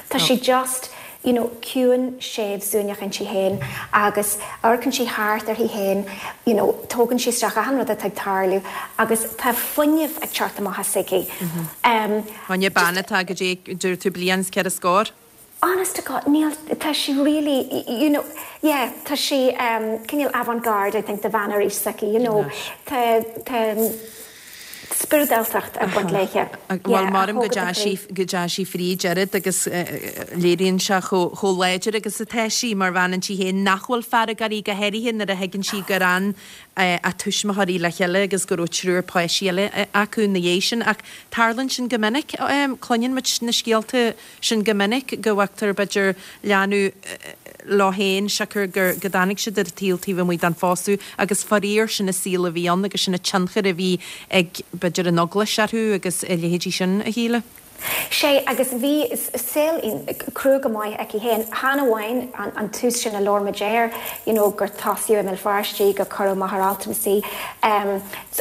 Tá sí just, you know, ciúin, séimh, suaimhneach inti féin agus amharcann sí thart uirthi féin, you know, tógann sí isteach achan rud atá ag tarlú agus tá fuinneamh ag teacht amach as aici. Um, Choinne bean atá go dtí, dúirt tú, bliain is 4 scór? Honest to God, níl, tá sí really, you know, yeah, tá sí um, cineál avant-garde, I think, do bhean ar aois s'aici, you know, tá, tá, spioradáltacht ag baint léithe. Bhuel, maram go dteachaigh sí fríd oiread agus léiríonn sé chomh láidir agus atá sí mar bhean inti féin nach bhfuil fearg uirthi, go háirithe nuair a thuigeann sí gur fhan a tuismitheoirí le chéile agus go raibh triúr páistí eile acu ina dhiaidh sin. Ach tarlaíonn sin go minic. Cluineann muid na scéalta sin go minic, go bhfágtar, b'fhéidir, leanbh leo féin siocair go dtáinig siad ar an tsaol taobh amuigh den phósadh agus faraor sin an saol a bhí ann agus sin an tionchar a bhí ag, b'fhéidir, an eaglais orthu agus a leithéidí sin, a Shíle. Sé, agus bhí saol crua go maith aici féin, chan amháin an tús sin a labhair muid air, you know, gur tosaíodh i mBéal Feirste í, gur cuireadh amach ar altramas í,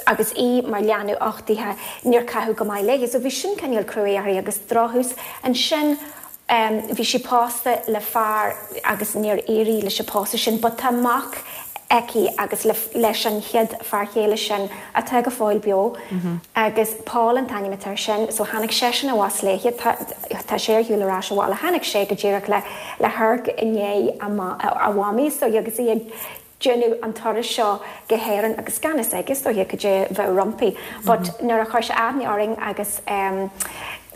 agus í mar leanbh uchtaithe, níor caitheadh go maith léi. So bhí sin cineál cruaidh uirthi agus drochthús. Ansin bhí sí pósta le fear agus níor éirigh leis an pósadh sin but tá mac aici agus le leis an chéad fear chéile sin atá go fóill beo agus Paul an t-ainm atá air sin so tháinig seisean abhus léi tá tá sé ar shiúl ar ais abhaile tháinig sé go díreach le le hamharc i ndiaidh a a mhamaí so agus í ag déanamh an turas seo go hÉirinn agus gan fhios aige is dóiche cad é a bheadh roimpi but nuair a chuir sé aithne orainn agus em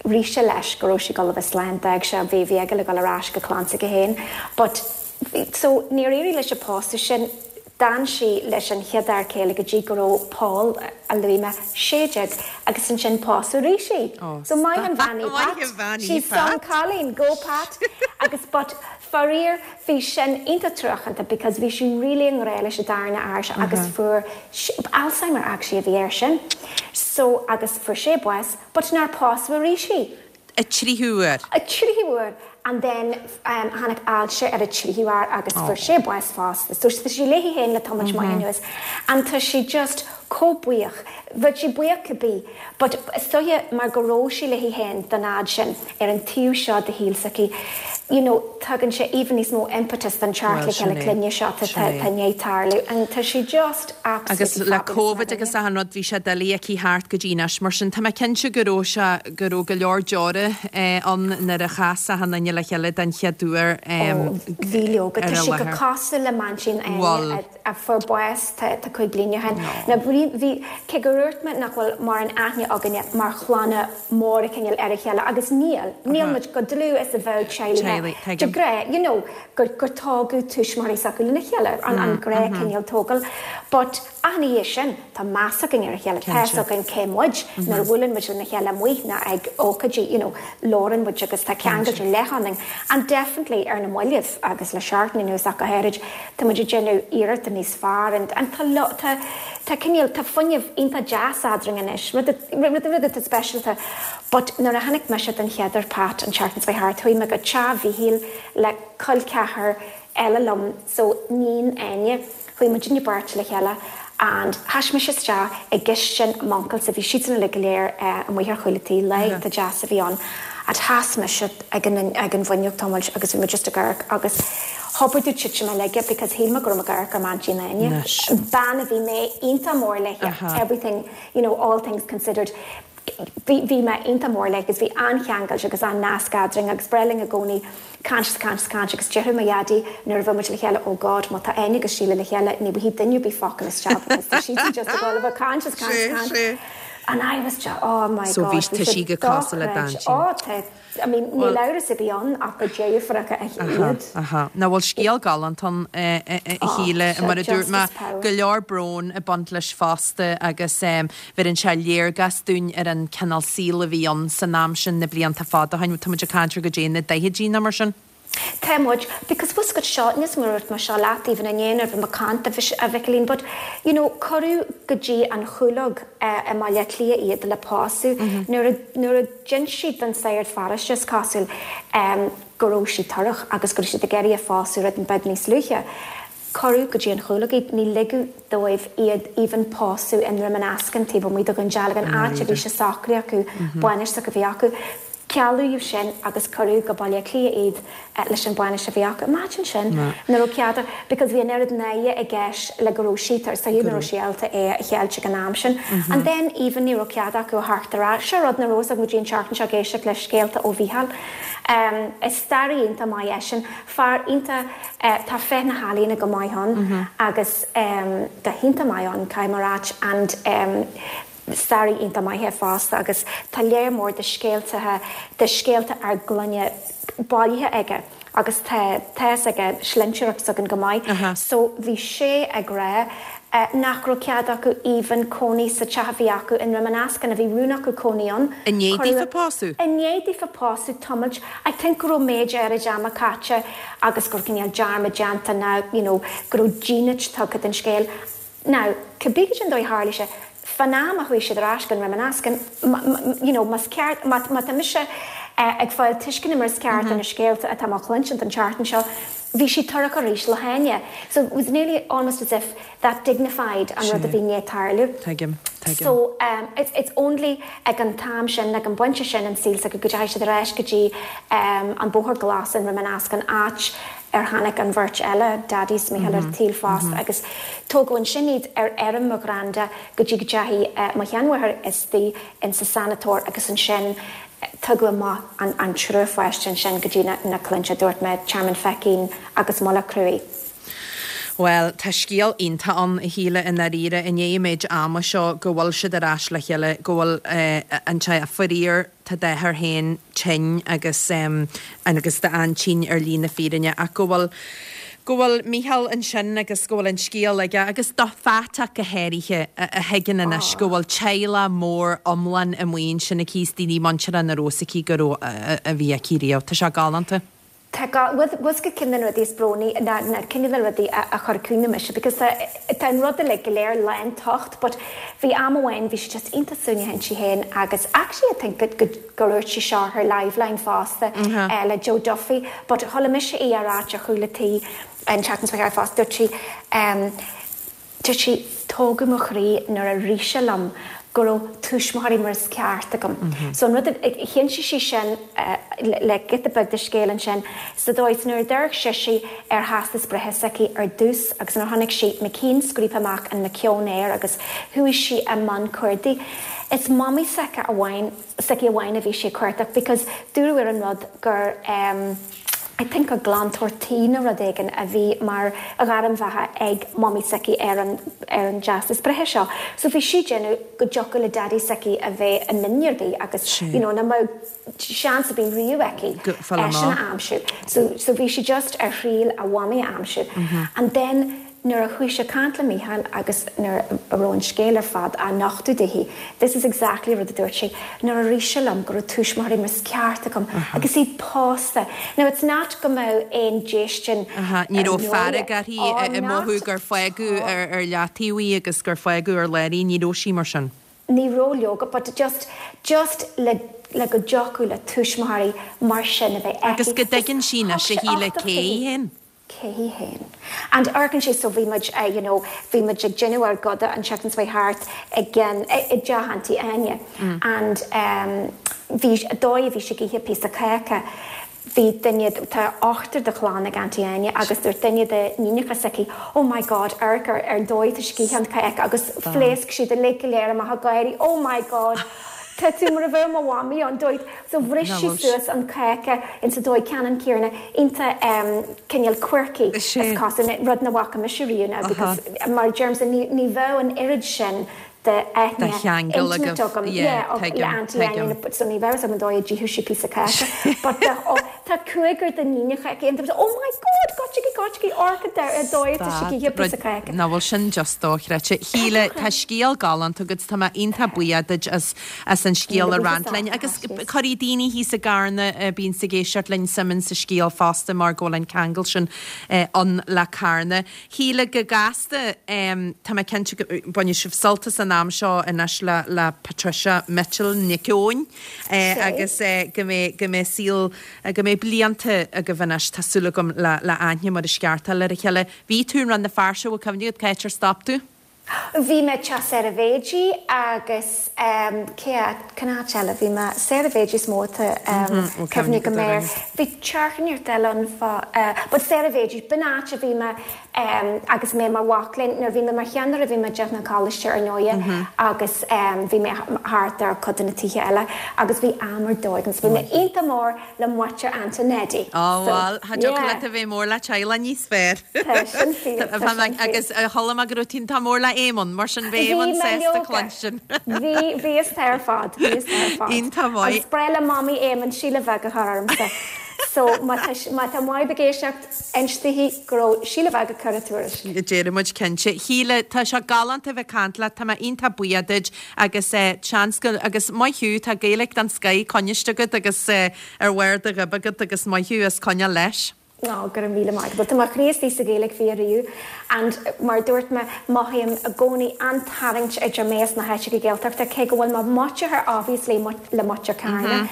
rith sé leis go raibh sí ag dul a bheith slán d'fhág sé bhí bhí aige le dul ar ais go clann s'aige féin but so níor éirigh leis an pósadh sin d'fhan sí leis an chéad fhear céile go dtí go raibh Paul a luaigh mé 16 agus ansin pósadh arís í so maith an bhean í Pat she's some cailín go Pat agus but Faraor, bhí sin iontach truacánta because bhí sí really i ngrá leis an darna fhear seo agus fuair Alzheimer actually a bhí air sin so agus fuair sé bás but nár pósadh arís í. A tríú huair. A tríú huair and then tháinig ailse ar an tríú fhear agus fuair sé bás fosta so tá sí léi féin le tamalt maith anuas and tá sí just chomh buíoch. Bheadh sí buíoch cibé but is dóiche mar go raibh sí léi féin don fhad sin ar an taobh seo de shaol s'aici you know tugann sé even níos mó impetus don teacht le chéile clainne seo atá i ndiaidh tarlú and tá sí just absolutely Agus le Covid agus achan rud bhí sé doiligh aici theacht go dtí anois mar sin tá mé cinnte go raibh sé go raibh go leor deora ann nuair a chas achan duine le chéile den chéad uair Ó bhí leoga tá sí go cosúil le m'aintín Áine a fuair bás tá 5 bliana ó shin. Now bhí, cé gur dhúirt mé nach bhfuil mórán aithne againne mar chlanna móra cineál ar a chéile, agus níl, níl muid chomh dlúth is a bheadh teaghlaigh de ghnáth, you know, gur, gur tógadh tuismitheoirí s'acu lena chéile, an, an gnáth cineál tógáil. But ach ina dhiaidh sin, tá meas againn ar a chéile, tá fhios againn cé muid, nuair a bhuaileann muid lena chéile amuigh ná ag ócáidí, you know, labhrann muid agus tá ceangailt ar leith ionainn and definitely ar na mallaibh agus le seachtain anuas ach go háirid tá muid ag déanamh iarrachta níos fearr and and tá tá tá cineál tá fuinneamh iontach deas eadrainn anois rud rud rud atá speisialta but nuair a chonaic mise den chéad uair Pat an tseachtain seo thart chuaigh mé go teach Mhíchíl le col ceathar eile liom so níon Áine Chuaigh muidinne beirt le chéile and sheas mise isteach i gcistin m'uncail so bhí siadsan uilig go léir amuigh ar chúl an tí, lá iontach deas a bhí ann and sheas mise ag an ag an bhfuinneog tamall agus bhí mé just ag amharc agus. Thobair domh titim i laige because shíl mé go raibh mé ag amharc ar m'aintín Áine, bean a bhí mé iontach mór léi, everything, you know, all things considered. Bhí, bhí mé iontach mór léi agus bhí an-cheangailt agus an-nasc eadrainn agus ba bhreá linn i gcónaí caint is caint is caint agus déarfadh mo dhaidí nuair a bheadh muid le chéile oh God má tá Áine agus Síle le chéile ní bhfaighidh duine ar bith focal isteach because tá siadsan just ag dul a bheith caint is caint is caint and I was just oh my So God bhí bhí tá sé sí go cosúil le dochreidte. d'aintín. Oh tá I mean níl amhras ar bith ann ach gur deirfiúracha iad. Aha. Ná bhfuil scéal galánta ann a Shíle, mar a dúirt mé, go leor brón ag baint leis fosta agus bheireann sé léargas dúinn ar an cineál saoil a bhí ann san am sin, na blianta fada ó shin. Tá muid ag caint ar goidé na daichidí nó mar sin. Tá muid, because bhfuil 's agat seo, níl 's agam ar dhúirt mé seo leat even inné nuair a bhí mé ag caint a Mhicilín, but you know cuireadh go dtí an Chúlóg i mBaile Átha Cliath iad le pósadh nuair a, nuair a d'inis siad don sagart pharóiste is cosúil go raibh sí torrach agus go raibh siad ag iarraidh a phósadh rud beag níos luaithe. Cuireadh go dtí an Chúlóg iad, ní ligeadh dóibh iad even pósadh i nDroim an Eascann taobh amuigh de Dhún Dealgan, áit a bhí sé socraithe acu, bainis s'acu a bhí acu. Cealaíodh sin agus cuireadh go Baile Átha Cliath iad leis an bhainis a bhí acu. Imagine sin, nach raibh cead because bhí an oiread náire i gceist le go raibh sí tar, so nach raibh sí ábalta é a cheilt ag an am sin. And then even ní raibh cead acu a theacht ar ais. Seo rud nach raibh fhios agam go dtí an tseachtain seo ag éisteacht le scéalta ó Mhícheál. Is staraí iontach maith eisean, fear iontach, tá féith na healaíona go maith ann agus go hiontach maith ann, caithfidh mé a ráit and staraí iontach maith é fosta agus tá léar mór de scéalta de scéalta ár gclainne bailithe aige agus tá tá fhios aige slinnteoireacht s'againn go maith so bhí sé ag rá nach raibh cead acu even cónaí sa teach a bhí acu i nDroim an Eascann a bhí rún acu cónaí ann. I ndiaidh daofa pósadh? I ndiaidh daofa pósadh tamalt I think go raibh méid áirid ama caite agus go raibh cineál dearmad déanta nó you know go raibh dínit tugtha don scéal Now, cibé cén dóigh a tharla sé, fán am a chuaigh siad ar ais go Droim an Eascann, you know, más ceart, má, má tá mise ag fáil tuisceana mar is ceart ar na scéalta atá mé a chluinstin an tseachtain seo, bhí sí torrach arís le hÁine. So it was nearly almost as if that dignified an rud a bhí i ndiaidh tarlú. Tuigim, tuigim. So it's, it's only ag an t-am sin, ag an bpointe sin an saol s'acu go dteachaigh siad ar ais go dtí an Bóthar Glas i nDroim an Eascann, áit ar tháinig an bheirt eile, Daidí 's Mícheál ar an tsaol fosta agus tógadh ansin iad ar fheirm mo ghranda go dtí go dteachaigh mo sheanmháthair istigh insa sanatóir agus ansin tugadh amach an triúr pháiste ansin go dtí na clainne, dúirt mé, Tearmann Feichín agus Mullach Cruaidh. Bhuel, tá scéal iontach ann, a Shíle, i ndáiríre, i ndiaidh an méid ama seo, go bhfuil siad ar ais le chéile, go bhfuil an teaghlach, faraor, tá d'athair féin tinn agus agus d'aintín ar shlí na fírinne ach go bhfuil go bhfuil Mícheál ansin agus go bhfuil an scéal aige agus do Phat ach go háirithe a thuigeann anois go bhfuil teaghlach mór iomlán amuigh ansin aici is daoine muinteartha nach raibh fhios aici go raibh a bhí aici riamh. Tá sé galánta. Tá gá, bhfuil 'fhios agat ceann de na rudaí is brónaí ná ná ceann de na rudaí a a chuir caoineadh mise because tá tá an rud uilig go léir lán tocht but bhí am amháin bhí sí just iontach suaimhneach inti féin agus actually I think go go gur dhúirt sí seo ar Liveline fosta le Joe Duffy but chuala mise í á ráit ar chúl a tí an tseachtain seo chuaigh fosta dúirt sí ehm Dúirt sí, Tógadh mo chroí nuair a rith sé liom go raibh tuismitheoirí mar is ceart agam. So an rud a, chinntigh sí sin le giota beag de scéal ansin sa dóigh is nuair a d'amharc sise ar theastas breithe s'aici ar dtús agus nuair a chonaic sí McKean scríofa amach an McKeown air agus chuaigh sí i mbun cuardaigh. Is mamaí s'aici amháin, s'aici amháin a bhí sí ag cuardach because dúradh ar an rud gur eh, I think gur glantóir tí nó rud éigin a bhí mar ghairm bheatha ag mamaí s'aici ar an ar an dteastas breithe seo. So bhí sí ag déanamh go dtiocfadh le daidí s'aici a bheith i nduine ar bith agus you know nach mbeadh seans ar bith riamh aici eisean a aimsiú. So so bhí sí just ar thriail a mhamaí a aimsiú. And then Nuair a chuaigh sí ag caint le Mícheál agus nuair a raibh an scéal ar fad á nochtadh daoithi, this is exactly rud a dúirt sí, nuair a rith sé liom go raibh tuismitheoirí mar is ceart agam agus iad pósta. Now it's not go mbeadh aon déistin Aha, ní raibh fearg uirthi ag mothú gur fágadh ar leataobh í agus gur fágadh ar lár í, ní raibh sí mar sin. Ní raibh leoga, but just, just le, le go dtiocfadh le tuismitheoirí mar sin a bheith aici. Agus go dtuigeann sí anois a Shíle cé hí féin. cé hí féin. And amharcann sé so bhí muid eh you know bhí muid ag déanamh ár gcoda an tseachtain seo thart i gceann i i dteach Auntie Áine and em bhí dóigh a bhí sí ag ithe píosa cáca. Bhí duine, tá ochtar de chlann ag Auntie Áine agus dúirt duine de níonacha s'aici, Oh my God, amharc ar ar dóigh atá sí ag ithe an cáca agus phléasc siad uilig go léir amach ag gáirí, Oh my God, tá tú mar a bheadh mo mhamaí ann, dóigh. So bhris sí suas an cáca insa dóigh ceannann céanna, iontach cineál quirky is cosúil, rud nach bhfaca mise riamh now because mar a deirimse ní ní bheadh an oiread sin de aithne intimate agam yeah le Auntie Áine so ní bheadh fhios agam an dóigh a d'itheadh sí píosa cáca but oh tá cúigear de níonacha aici and oh my god goitsigí goitsigí amharc ar dóigh atá sí ag ithe píosa cáca. Nach bhfuil sin just dochreidte. Shíle, tá scéal galánta agat, tá mé iontach buíoch duit as as an scéal a roinnt linn agus cuirfidh daoine thíos i gCarna a bhíonns ag éisteacht linn suim insa scéal fosta mar go bhfuil an ceangal sin ann le Carna. Shíle, go gasta, tá mé cinnte go mbainfidh sibh sult as an am seo anois le le Patricia Mitchell Nic Eoin agus go mbeidh go mbeidh saol go mbeidh blianta agaibh anois tá súil agam le le aithne mar is ceart a fháil ar a chéile. Bhí tú i Rann na Feirste, bhfuil cuimhne agat cá háit ar stop tú? Bhí mé teach Sarah Bhéidí agus cé áit, cén áit eile a bhí mé? Sarah Bhéidí is mó atá cuimhne agam air. Bhí teach inteacht eile ann fá, but Sarah Bhéidí, b'in áit a bhí mé agus mé mar mhac léinn, nuair a bhí mé mar cheannaire bhí mé i dTeach na Coláiste ar ndóighe agus bhí mé thart ar cuid de na tithe eile agus bhí am ar dóigh agam so bhí mé iontach mór le muintir Auntie Neddy. Á bhuel, cha dtiocfadh leat a bheith mór le teaghlach níos fearr. Tá sin fíor, tá sin fíor. Agus chuala mé go raibh tú iontach mór le Éamonn, mar sin bheadh Éamonn sásta cluinstin. Bhí, bhí is tá ar fad, bhí is tá ar fad. Iontach maith. Agus ba bhreá le Mamaí Éamonn Síle Bheag a chur ormsa. So má tá, má tá Maib ag éisteacht, inis daoithi go raibh Síle Bheag ag cur a tuairisc. Déarfaidh muid cinnte. Shíle, tá sé galánta a bheith ag caint leat, tá mé iontach buíoch duit agus seans go, agus maith thú, tá Gaeilge den scoith coinniste agat agus ar bharr do ghoib agat agus maith thú as coinneáil leis. Ó, go raibh míle maith agat. Tá mo chroí istigh sa Ghaeilge fiú ariamh and mar a dúirt mé, mothaím i gcónaí an-tarraingt idir mé is na háiteacha Gaeltachta, cé go bhfuil mé muinteartha obviously le muintir Carna,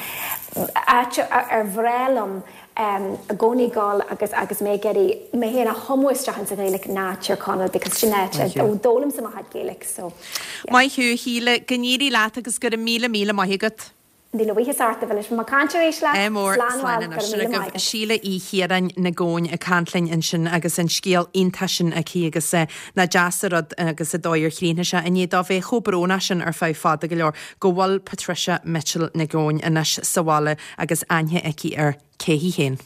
áit ar bhreá liom i gcónaí dul agus agus mé ag iarraidh mé féin a thumadh isteach insa Ghaeilge ná Tír Chonaill because sin áit a d'fhoghlaimse mo chuid Gaeilge so yeah. Maith thú, a Shíle, go n-éirí leat agus go raibh míle míle maith agat. Míle buíochas ort, a Mhilis. Bhí mé ag caint arís leat. Ádh mór, Slán slán bhuel, anois. go raibh Sin míle agaibh maith agat. Síle Uí Chiaráin Nic Eoin ag caint linn ansin agus an scéal iontach sin aici agus nach deas an rud agus an dóigh ar chríochnaigh sé i ndiaidh dó bheith chomh brónach sin ar feadh fada go leor go bhfuil Patricia Mitchell Nic Eoin anois sa bhaile agus aithne aici ar cé hí féin.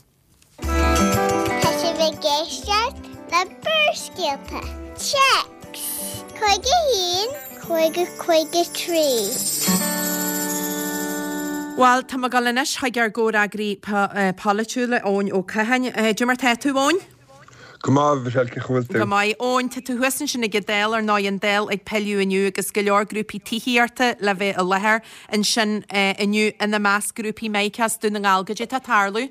Tá sibh ag éisteacht le Barrscéalta. Téacs 51 50 53. Bhuel, tá mé ag dul anois chuig ár gcomhfhreagraí polaitiúil, Eoin Ó Catháin. Cad é mar tá tú, Eoin? Go maith, Michelle, cén chaoi a bhfuil tú? Go maith. Eoin, tá tú thuas ansin ag an Dáil, ar ndóigh, an Dáil ag pilleadh inniu agus go leor grúpaí tithíochta le bheith i láthair ansin inniu, ina measc grúpaí Mica as Dún na nGall. Goidé tá ag tarlú?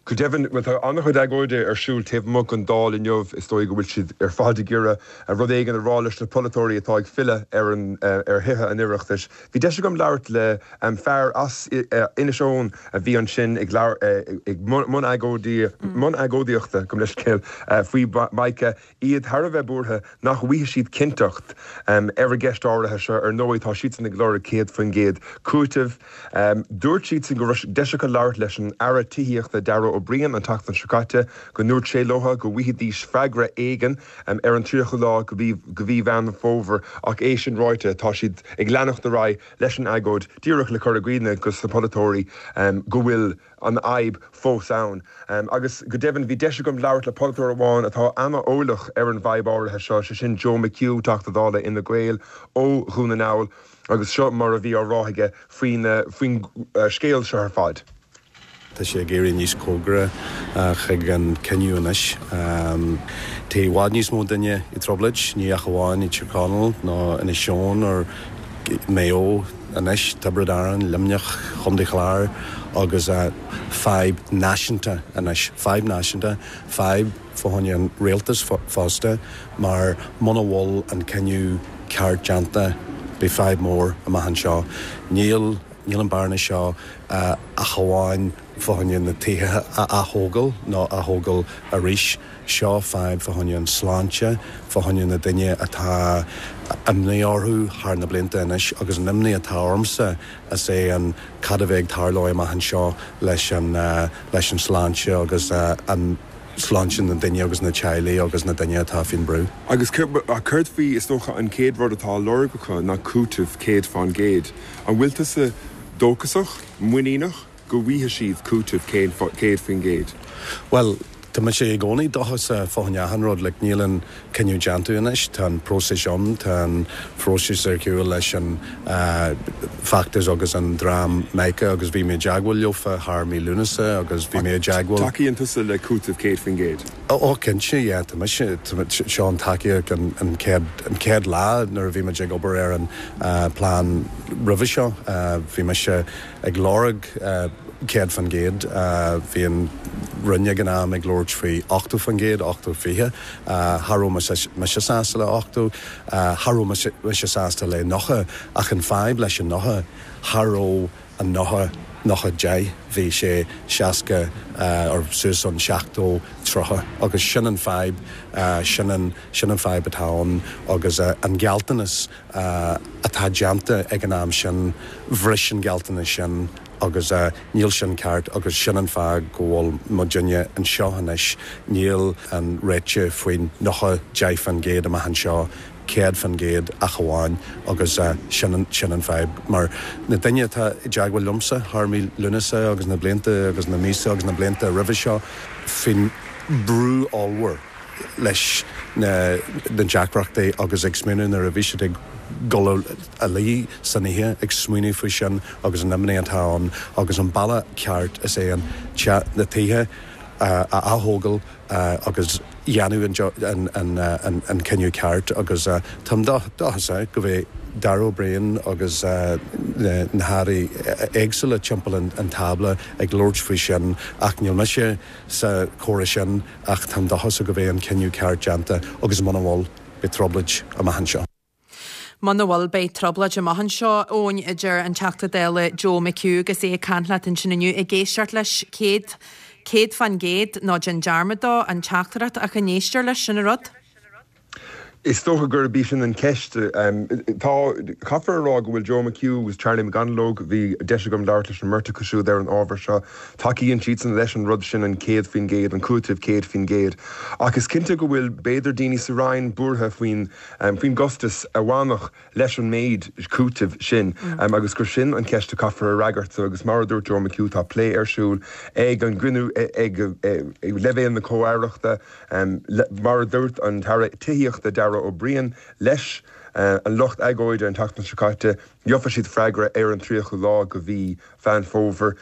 Go deimhin, bhuel, tá an-chuid agóide ar siúl taobh amuigh den Dáil inniu. Is dóigh go bhfuil siad ar fad ag iarraidh rud éigin a rá leis na polaiteoirí atá ag filleadh ar an ar Thithe an Oireachtais. Bhí deis agam labhairt le fear as Inis Eoghain a bhí ansin ag ag mbun mbun agóidíochta, gabh mo leithscéal, faoi Mica, iad thar a bheith buartha nach bhfaighidh siad cinnteacht ar an gceist áirithe seo. Ar ndóigh, tá siadsan ag lorg 100% cúitimh. Dúirt siadsan go raibh deis acu labhairt leis an Aire Tithíochta Darragh O'Brien an tseachtain seo caite, go ndúirt sé leo go bhfaighidís freagra éigin ar an 30ú lá de mhí Mheán Fómhair ach é sin ráite, tá siad ag leanacht ar aghaidh leis an agóid díreach le cur i gcuimhne dos na polaiteoirí go bhfuil an fhadhb fós ann. Agus go deimhin bhí deis agam labhairt le polaiteoir amháin atá ana-eolach ar an bhfadhb áirithe seo, sé sin Joe McHugh, Teachta Dála Fhine Gael ó Dhún na nGall, agus seo mar a bhí á rá aige faoin faoin scéal seo ar fad. Tá sé ag éirí níos cóngaraí chuig an cinneadh anois. Tá i bhfad níos mó duine i dtrioblóid, ní ach amháin i Tír Chonaill nó Inis Eoghain or Maigh Eo anois, Tiobraid Árann, Luimneach, Chontae Chláir agus fadhb náisiúnta anois, fadhb náisiúnta, fadhb fá choinne an rialtas fosta mar muna bhfuil an cinneadh ceart déanta beidh fadhb mór amach anseo. Níl, níl an bearna seo ach amháin. fá choinne na tithe a ath-thógáil nó a thógáil arís. Seo fadhb fá choinne an sláinte, fá choinne na duine atá imní orthu thar na blianta anois agus an imní atá ormsa is é an cad a bheidh ag tarlú amach anseo leis an leis an sláinte agus an sláinte na duine agus na teaghlaigh agus na duine atá faoin brú. Agus céard faoi, is dócha an chéad rud atá á lorg acu ná cúiteamh 100%. An bhfuil tusa dóchasach, muiníneach go bhfaighidh siad cúiteamh 100%? Bhuel, tá mise i gcónaí dóchasach fá choinne achan rud. Like, níl an cinneadh déanta anois, tá an próiseas ann, tá an phróiseas ar shiúl leis an feachtas agus an dream Mica agus bhí mé i dteagmháil leofa thar mí Lúnasa agus bhí mé i dteagmháil. Tacaíonn tusa le cúiteamh 100%? Ó, cinnte, yeah, tá mise, seo an tacaíocht an chéad, an chéad lá nuair a bhí muid ag obair ar an plean roimhe seo, bhí mise ag lorg 100%. Bhí an Roinn ag an am ag labhairt faoi 80%, 80, 20. Cha raibh mise sásta le 80, cha raibh mise sásta le 90 ach an fadhb leis an 90, cha raibh an 90, 90, 10, bhí sé 60 or suas an 70, 30 agus sin an fadhb, sin an, sin an fadhb atá ann agus an gealltanas atá déanta ag an am sin, bhris an gealltanas sin agus níl sin ceart agus sin an fáth go bhfuil muidinne anseo anois. Níl an réiteach faoin 90, 10% amach anseo, 100% ach amháin agus sin an, sin an fadhb. Mar na daoine atá i dteagmháil liomsa thar mí Lúnasa agus na blianta agus na míosa agus na blianta roimhe seo faoin brú ollmhór, leis na deacrachtaí agus ag smaoineamh nuair a bhí siad ag dul a luí san oíche ag smaoineamh faoi sin agus an imní atá ann agus an bealach ceart is é an na tithe a ath-thógáil agus dhéanamh an cinneadh ceart agus táim dóchasach go mbeidh Darragh O'Brien agus na hairí éagsúla timpeall an tábla ag labhairt faoi sin ach níl mise sa chomhrá sin ach táim dóchasach go mbeidh an cinneadh ceart déanta agus muna bhfuil, beidh trioblóid amach anseo. Muna bhfuil, beidh trioblóid amach anseo, Eoin, a deir an Teachta Dála Joe McHugh agus é ag caint leat ansin inniu, ag éisteacht leis 100, 100%, ná déan dearmad dó, an teachtaireacht, ach an éistear leis, sin an rud. Is dócha gurb í sin an cheist. Tá, caithfear a rá go bhfuil Joe McHugh agus Charlie McConalogue, bhí deis agam labhairt leis an mbeirt acu siúd ar an ábhar seo, tacaíonn siadsan leis an rud sin, an 100%, an cúiteamh 100%. Ach is cinnte go bhfuil, b'fhéidir, daoine sa Roinn buartha faoin, faoin gcostas a bhainfeadh leis an méid cúitimh sin agus gur sin an cheist a chaithfear a fhreagairt. Agus mar a dúirt Joe McHugh, tá plé ar siúl ag an gcruinniú ag leibhéal na comh-aireachta, Mar a dúirt an tAire Tithíochta Darragh O'Brien leis an lucht agóide an tseachtain seo caite, gheofa siad freagra ar an 30ú lá de mhí Mheán Fómhair.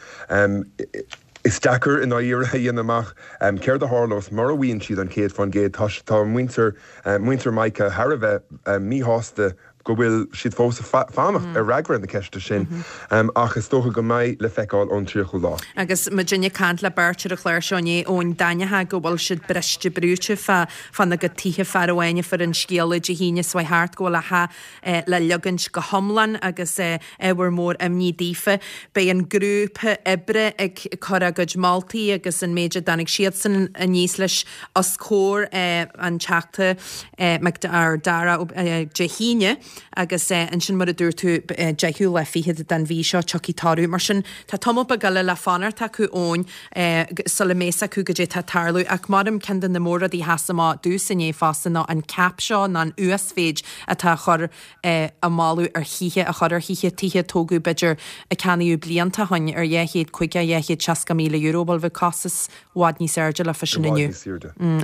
Is deacair i ndáiríre a dhéanamh amach céard a tharlós mura bhfaigheann siad an 100%. Tá muintir muintir Mica thar a bheith míshásta go bhfuil siad fós ag fanacht ar fhreagra na ceiste sin ach is dócha go mbeidh le feiceáil ón 30ú lá. Agus muidinne ag caint le beirt ar an chlár seo inné, Eoin, d'aithneofá go bhfuil siad briste brúite fá fána gcuid tithe, fear amháin a fuair an scéala Dé hAoine seo thart go bhfuil a theach le leagaint go hiomlán agus ábhar mór imní daofa. Beidh an grúpa oibre ag cur a gcuid moltaí agus an méid a dtáinig siadsan aníos leis os comhair an Teachta Darragh Dé hAoine agus ansin mar a dúirt tú deichiú lá fichead den mhí seo tiocfaidh toradh. Mar sin tá tamall beag eile le fanacht acu Eoin sula mbeidh a fhios acu goidé tá ag tarlú ach maram ceann de na mór-rudaí a sheas amach domhsa inné fosta ná an cap seo ná an uasmhéid atá á chur á moladh ar thithe a chur ar thithe, tithe a tógadh b'fhéidir a ceannaíodh blianta ó shin ar €250, €260,000, bhuel bheadh costas i bhfad níos airde leofa sin inniu.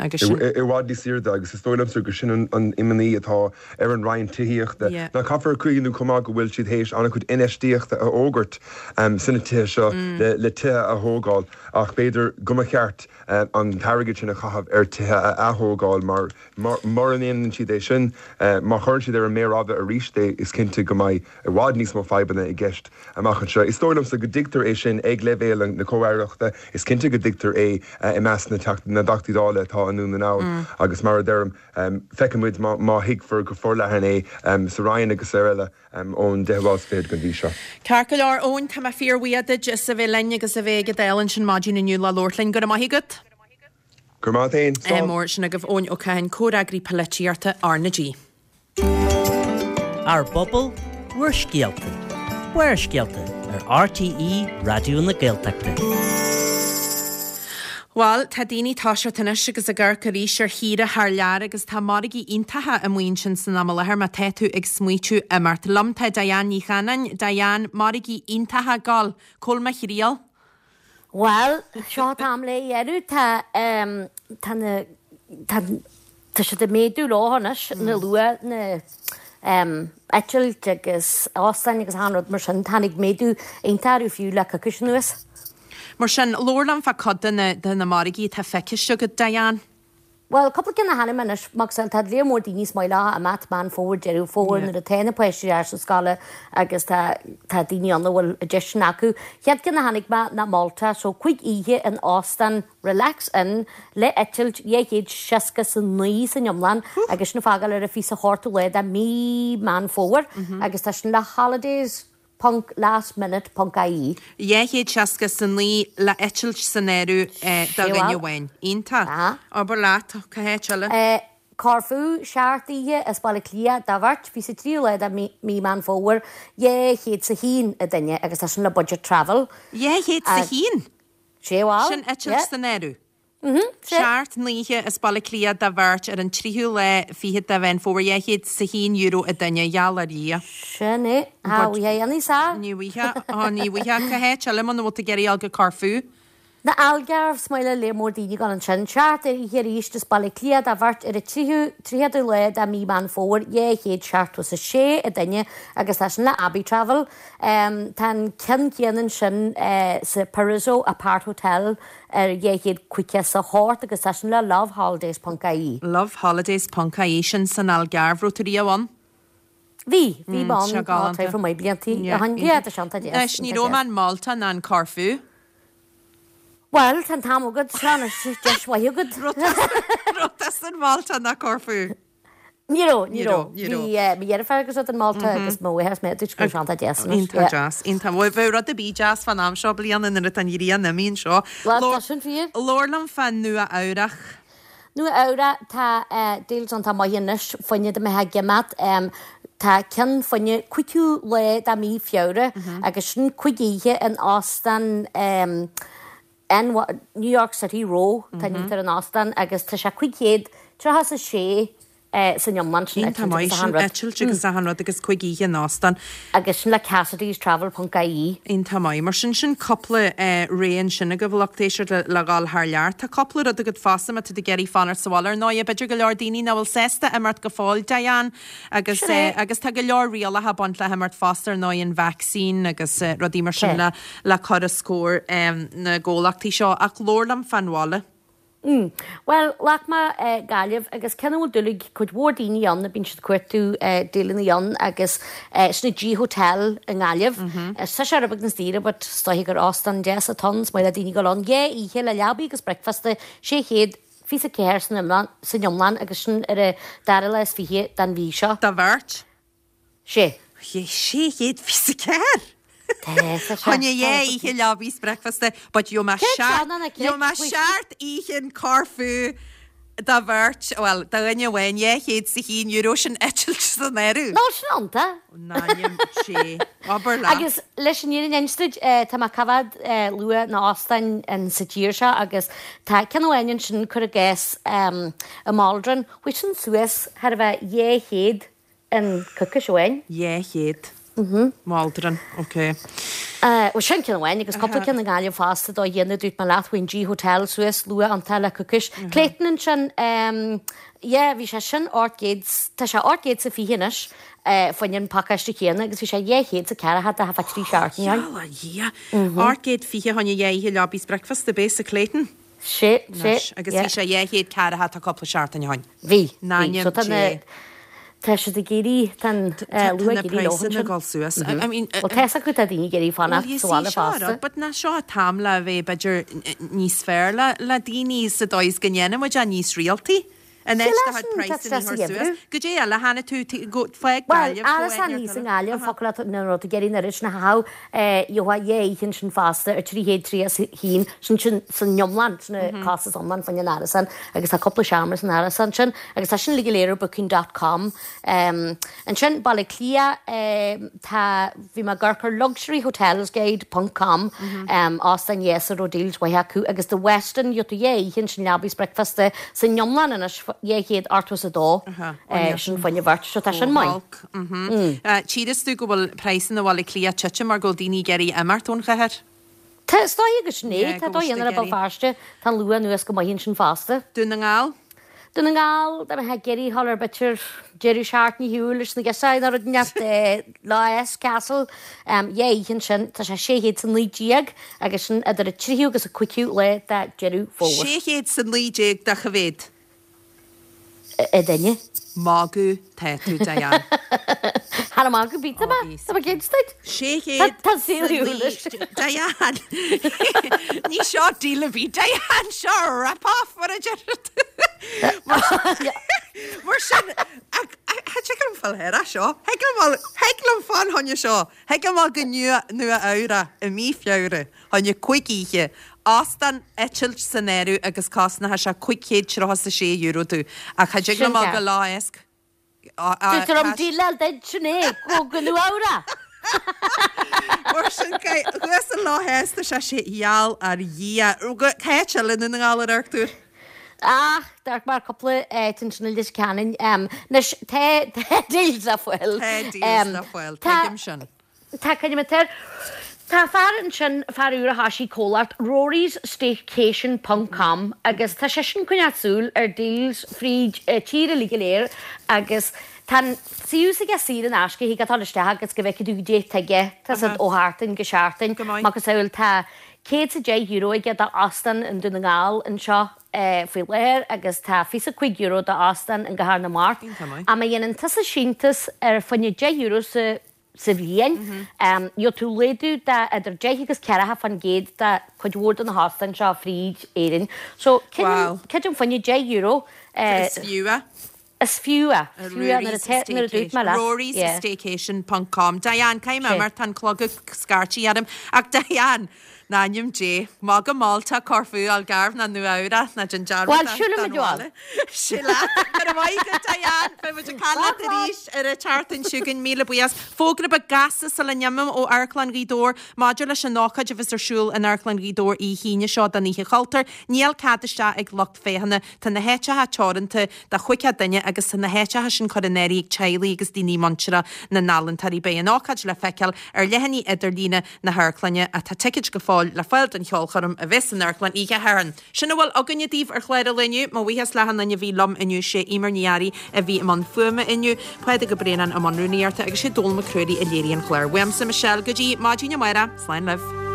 Agus sin. I bhfad níos airde agus is dóigh liomsa gur sin an imní atá ar an Roinn Tithíochta. Ná caithfear cuimhniú chomh maith go bhfuil siad théis an-chuid infheistíochta a fhógairt sna tithe seo le tithe a thógáil ach b'fhéidir go mba cheart an t-airgead sin a chaitheamh ar tithe a ath-thógáil mar Mura ndéanann siad é sin, má chuireann siad ar an méar fhada arís é, is cinnte go mbeidh i bhfad níos mó fadhbanna i gceist amach anseo. Is dóigh liomsa go dtuigtear é sin ag leibhéal na comh-aireachta, is cinnte go dtuigtear é i measc na dTeachtaí Dála atá i nDún na nGall agus mar a deirim, feicfidh muid má thuigfear go forleathan é. sa Rinn agus ar eile ón deichiú lá is fichead den mhí seo. Ceart go leor, Eoin, tá mé fíor-bhuíoch duit as a bheith linn agus a bheith ag an Dáil ansin maidin inniu le labhairt linn. Go raibh maith agat. Go raibh maith agat féin. Slán. Mór sin agaibh Eoin Ó Catháin, Comhfhreagraí Polaitíochta R na G. Ár bpobal, bhur scéalta. Barrscéalta ar RTÉ Raidió na Gaeltachta. Bhuel, tá daoine toiseacht anois agus ag amharc arís ar shaoire thar lear agus tá margaí iontacha amuigh ansin san am i láthair má tá tú ag smaoitiú imeacht. Liom tá Diane Ní Chanainn. Diane, margaí iontacha ag gabháil. Cá bhfuil mo thriall? Bhuel, seo an t-am le dhéanamh. Tá, tá na, tá, tá siad ag méadú leo anois, na luath, na eitilt agus óstáin agus achan rud mar sin. Tháinig méadú iontach orthu fiú le coicís anuas. Mar sin, labhair liom fá cuid de na, de na margaí atá feiciste agat, Diane. Bhuel, cúpla ceann a chonaic mé anois, mar tá léar mór daoine is maith leo imeacht Meán Fómhair, Deireadh Fómhair nuair atá na páistí ar ais sa scoile agus tá tá daoine ann a bhfuil an deis sin acu. Chéad ceann a chonaic mé ná Malta, so 5 oíche in óstán Relax Inn le eitilt 269 san iomlán agus sin ag fágáil ar an 28ú lá de mí Meán Fómhair agus tá sin le Holidays ponc last minute ponc ie. 269 le eitilt san áireamh do dhuine amháin. Iontach. Abair leat, cá háit eile? Corfu, 7 oíche as Baile Átha Cliath do bheirt, fiche 's a 3ú lá de mí Meán Fómhair, 200 's a haon an duine agus tá sin le Budget Travel. 200 's a haon? Sé bhuel, Sin eitilt san áireamh. 7 n-oíche as Baile Átha Cliath do bheirt ar an tríú lá fichead de Mheán Fómhair, €201 an duine, gheall ar Dhia. Sin é. Thá bhfuightheá a dhéanamh sa. Ní bhfuightheá, á ní bhfuightheá. Cá háit eile muna bhfuil tú ag iarraidh a dhul go Corfu? Na Algarve, is maith le léar mór daoine dul ansin. 7 oíche arís as Baile Átha Cliath do bheirt ar an tríú, tríochadú lá de mí Meán Fómhair, 276 an duine agus tá sin le Abbey Travel. Tá an ceann céanna ansin sa Paraiso Apart Hotel ar 258 agus tá sin le loveholidays ponc ie. Loveholidays ponc ie, sin san Algarve, raibh tú riamh ann? Bhí, bhí mé ann tá traidhfil maith bliantaí ó shin. Yeah, tá sé iontach deas. Anois, ní raibh mé in Malta ná in Corfu. Bhuel, tá an t-am agat, seo anois deis mhaith agat. Raibh tusa in Malta ná Corfu? Ní raibh, ní raibh. Ní raibh. Bhí mo dheirfiúr agus rud in Malta agus mo mháthair is mé dúirt go raibh sé iontach deas anois. Iontach deas, iontach. Bhuel, bheadh rud ar bith deas fán am seo bliana nuair atá an ghrian imithe anseo. Bhuel, tá sin fíor. Labhair liom fá Nua Eabhrach. Nua Eabhrach, tá deals iontach maith anois fá choinne dá mbeifeá ag imeacht. Tá ceann fá choinne 5ú lá de mí Feabhra agus sin 5 oíche in óstán New York City Row, tá an ar an óstán agus tá sé 536 san iomlán, sin eitilt agus achan rud. Eitilt agus achan rud agus 5 oíche in óstán. Agus sin le Cassidy's Travel ponc ie. Iontach maith. Mar sin, sin cúpla rogha ansin agaibh a lucht éisteachta le dhul thar lear. Tá cúpla rud agat fosta má tá tú ag iarraidh fanacht sa bhaile. Ar ndóigh, b'fhéidir go leor daoine nach bhfuil sásta imeacht go fóill, Diane, agus agus tá go leor rialacha ag baint le himeacht fosta, ar ndóigh, an vacsaín agus rudaí mar sin le le cur os comhair na gcomhlachtaí seo. Ach labhair liom fán bhaile. Mm. Bhuel, ghlac mé Gaillimh agus ceann a bhfuil dúil ag cuid mhór daoine ann, bíonn siad ag cuartú díleanna ann agus sin an G Hotel i nGaillimh. Tá sé rud beag níos daoire but is dóiche gur óstán deas atá ann, is maith le daoine dul ann. 2 oíche le leabaí agus bricfeasta, 600 24 san iomlán, san iomlán agus sin ar an dara lá is 20 den mhí seo. Do bheirt? Sé. 624! Tá, tá sé. Choinne dhá oíche leabaí is bricfeasta, but gheobhaidh mé seacht, gheobhaidh mé seacht oíche in Corfu do bheirt, bhuel, do dhuine amháin, €201, sin eitilt san áireamh. Nó sin iontach. N'ainm Dé. Abair leat. Agus leis an fhírinne a inse duit, tá mé ag coimhéad luach na n-óstán in sa tír seo agus tá ceann amháin ansin, cuir i gcás, i Maldron, chuaigh sin suas thar a bheith 200 in coicís amháin. 200. Mhm. Maldron, ok. Bhuel sin ceann amháin agus cúpla ceann i nGaillimh fosta do dhéanamh dúirt mé leat chuaigh an G Hotel suas luath iontach le coicís. Clayton ansin, yeah bhí sé sin 800, tá sé 820 anois fá choinne an pacáiste céanna agus bhí sé 240 de thá 3 seachtaine ann. Gheall ar Dhia! 820 fá choinne dhá oíche leabaí is bricfeasta, b'é sa Clayton? Sé, sé, Anois, agus bhí sé 240 tá cúpla seachtain ó shin. Bhí, bhí. N'ainm So tá na, Dé. tá siad ag éirí, tá an Tá luach na ag éirí leo praghsanna ansin. ag dul suas. I mean, Bhuel, tá fhios acu tá daoine ag iarraidh fanacht Well, you sa see, bhaile seo fosta. rud, but nach seo an t-am le bheith b'fhéidir níos fearr le, le daoine sa dóigh is go ndéanann muid é níos rialtaí. An áit do chuid praghsanna a chur suas. Goidé eile a chonaic tú, go, fág Bhuel, Gaillimh, go árasán thíos i nGaillimh, focal leat nuair a raibh tú ag iarraidh an oiread sin a chaitheamh, gheofá dhá oíche ansin fosta ar 331, sin sin san iomlán, sin an costas iomlán fá choinne an árasán agus tá cúpla seomra san árasán sin agus tá sin uilig go léir ar booking dot com. Ansin, Baile Átha Cliath, tá, bhí mé ag amharc ar luxuryhotelsguide ponc com, óstán dheasa a raibh deals mhaithe acu agus The Westin, gheobhaidh tú dhá oíche ansin leaba is bricfeasta san iomlán anois, 282, sin fá choinne bheirt, so tá sin maith. Tchíreas tú go bhfuil praghsanna Bhaile Átha Cliath ag titim mar go bhfuil daoine ag iarraidh imeacht ón chathair. Tá, is dóigh agus sin é, tá dóigh ar Béal Feirste, tá an luach anuas go maith ansin fosta. Dún na nGall? Dún na nGall, dá mbeifeá ag iarraidh dhul ar b'fhéidir deireadh seachtaine ar shiúl leis na girseachaí nó rud inteacht, Lough Eske Castle, dhá oíche ansin, tá sé 619 agus sin idir an tríú agus an cúigiú lá de Deireadh Fómhair. 619 do cá mhéad? A duine. Magadh tá tú Diane. Thar magadh bíte mé. Tá mé cinnte duit. 600 Tá saol eolais. Diane. Ní seo deal ar bith Diane seo rip-off mar a deir tú. Mar sin cha dtig liom fáil air seo. Thig liom thig liom fáil choinne seo. Thig liom fáil go Nua Eabhrac i mí Feabhra. Choinne 5 oíche, óstán, eitilt san áireamh agus cosnóidh sé €536 domh. Ach cha dtig liom a go Lough Eske. Deirtear liom díleáil duit, sin é, go go Nua Eabhrac! Mar sin, thuas i Lough Eske tá sé sé gheall ar Dhia. Cá háit eile i nDún na nGall ar amharc tú air? Ach, d'amharc mé ar cúpla áit ansin i Leitir Ceanainn. Anois, tá tá deals le fáil. Tá deals le fáil, tuigim sin. Tá coinne air. Tá fear ansin, fear úr a thoisigh comhlacht, Rory's Staycation ponc com, agus tá seisean ag coinneáil súil ar deals fríd tír uilig go léir agus tá an suíomh s'aige saor in aisce, thig leat dul isteach agus go bhfeicfidh tú goidé atá aige, tá siad ó sheachtain go seachtain, macasamhail tá €110 aige d'óstán i nDún na nGall anseo faoi láthair agus tá €25 d'óstán i gCathair na Mart. Ach má dhéanann tusa síntiús ar fá choinne €10 sa sa bhliain. Gheobhaidh tú laghdú de idir 10 agus 40% de cuid mhór de na hóstáin seo fríd Éirinn. So, creidim fá choinne €10. Is fiú é. Is fiú é. Is fiú é nuair a nuair a dúirt mé leat. Rory's Staycation ponc com. Diane, caithfidh mé imeacht, tá an clog ag scairtigh orm. Ach Diane, in ainm Dé, magadh Málta, Corfú, Algarve ná Nua Eabhrac, ná déan dearmad Bhuel, siúlfaidh muid abhaile. Sin leat. Go raibh maith agat, Diane. Beidh muid ag caint leat arís ar an tseachtain seo chugainn. Míle buíochas. Fógra beag gasta sula n-imím ó Amharclann Ghaoth Dobhair maidir leis an ócáid a bheas ar siúl in Amharclann Ghaoth Dobhair oíche Aoine seo don Oíche Chultúir. Níl cead isteach ag lucht féachana. Tá na háiteacha teoranta do 50 duine agus tá na háiteacha sin curtha in áirithe ag teaghlaigh agus daoine muinteartha na n-ealaíontóirí. Beidh an ócáid le feiceáil ar leathanaigh idirlíne na hamharclainne ach tá ticéid go fóill le fáil don cheolchoirm a bheas san amharclann oíche Shathairn. Sin a bhfuil againne daoibh ar chlár an lae inniu. Mo bhuíochas le achan duine a bhí liom inniu, sé Eimear Ní Fhearraigh a bhí i mbun fuaime inniu, Pádraig Ó Braonáin i mbun rúnaíochta agus sé Dónall Mac Ruairí a léirigh an clár. Uaimse Michelle go dtí maidin amárach, slán libh.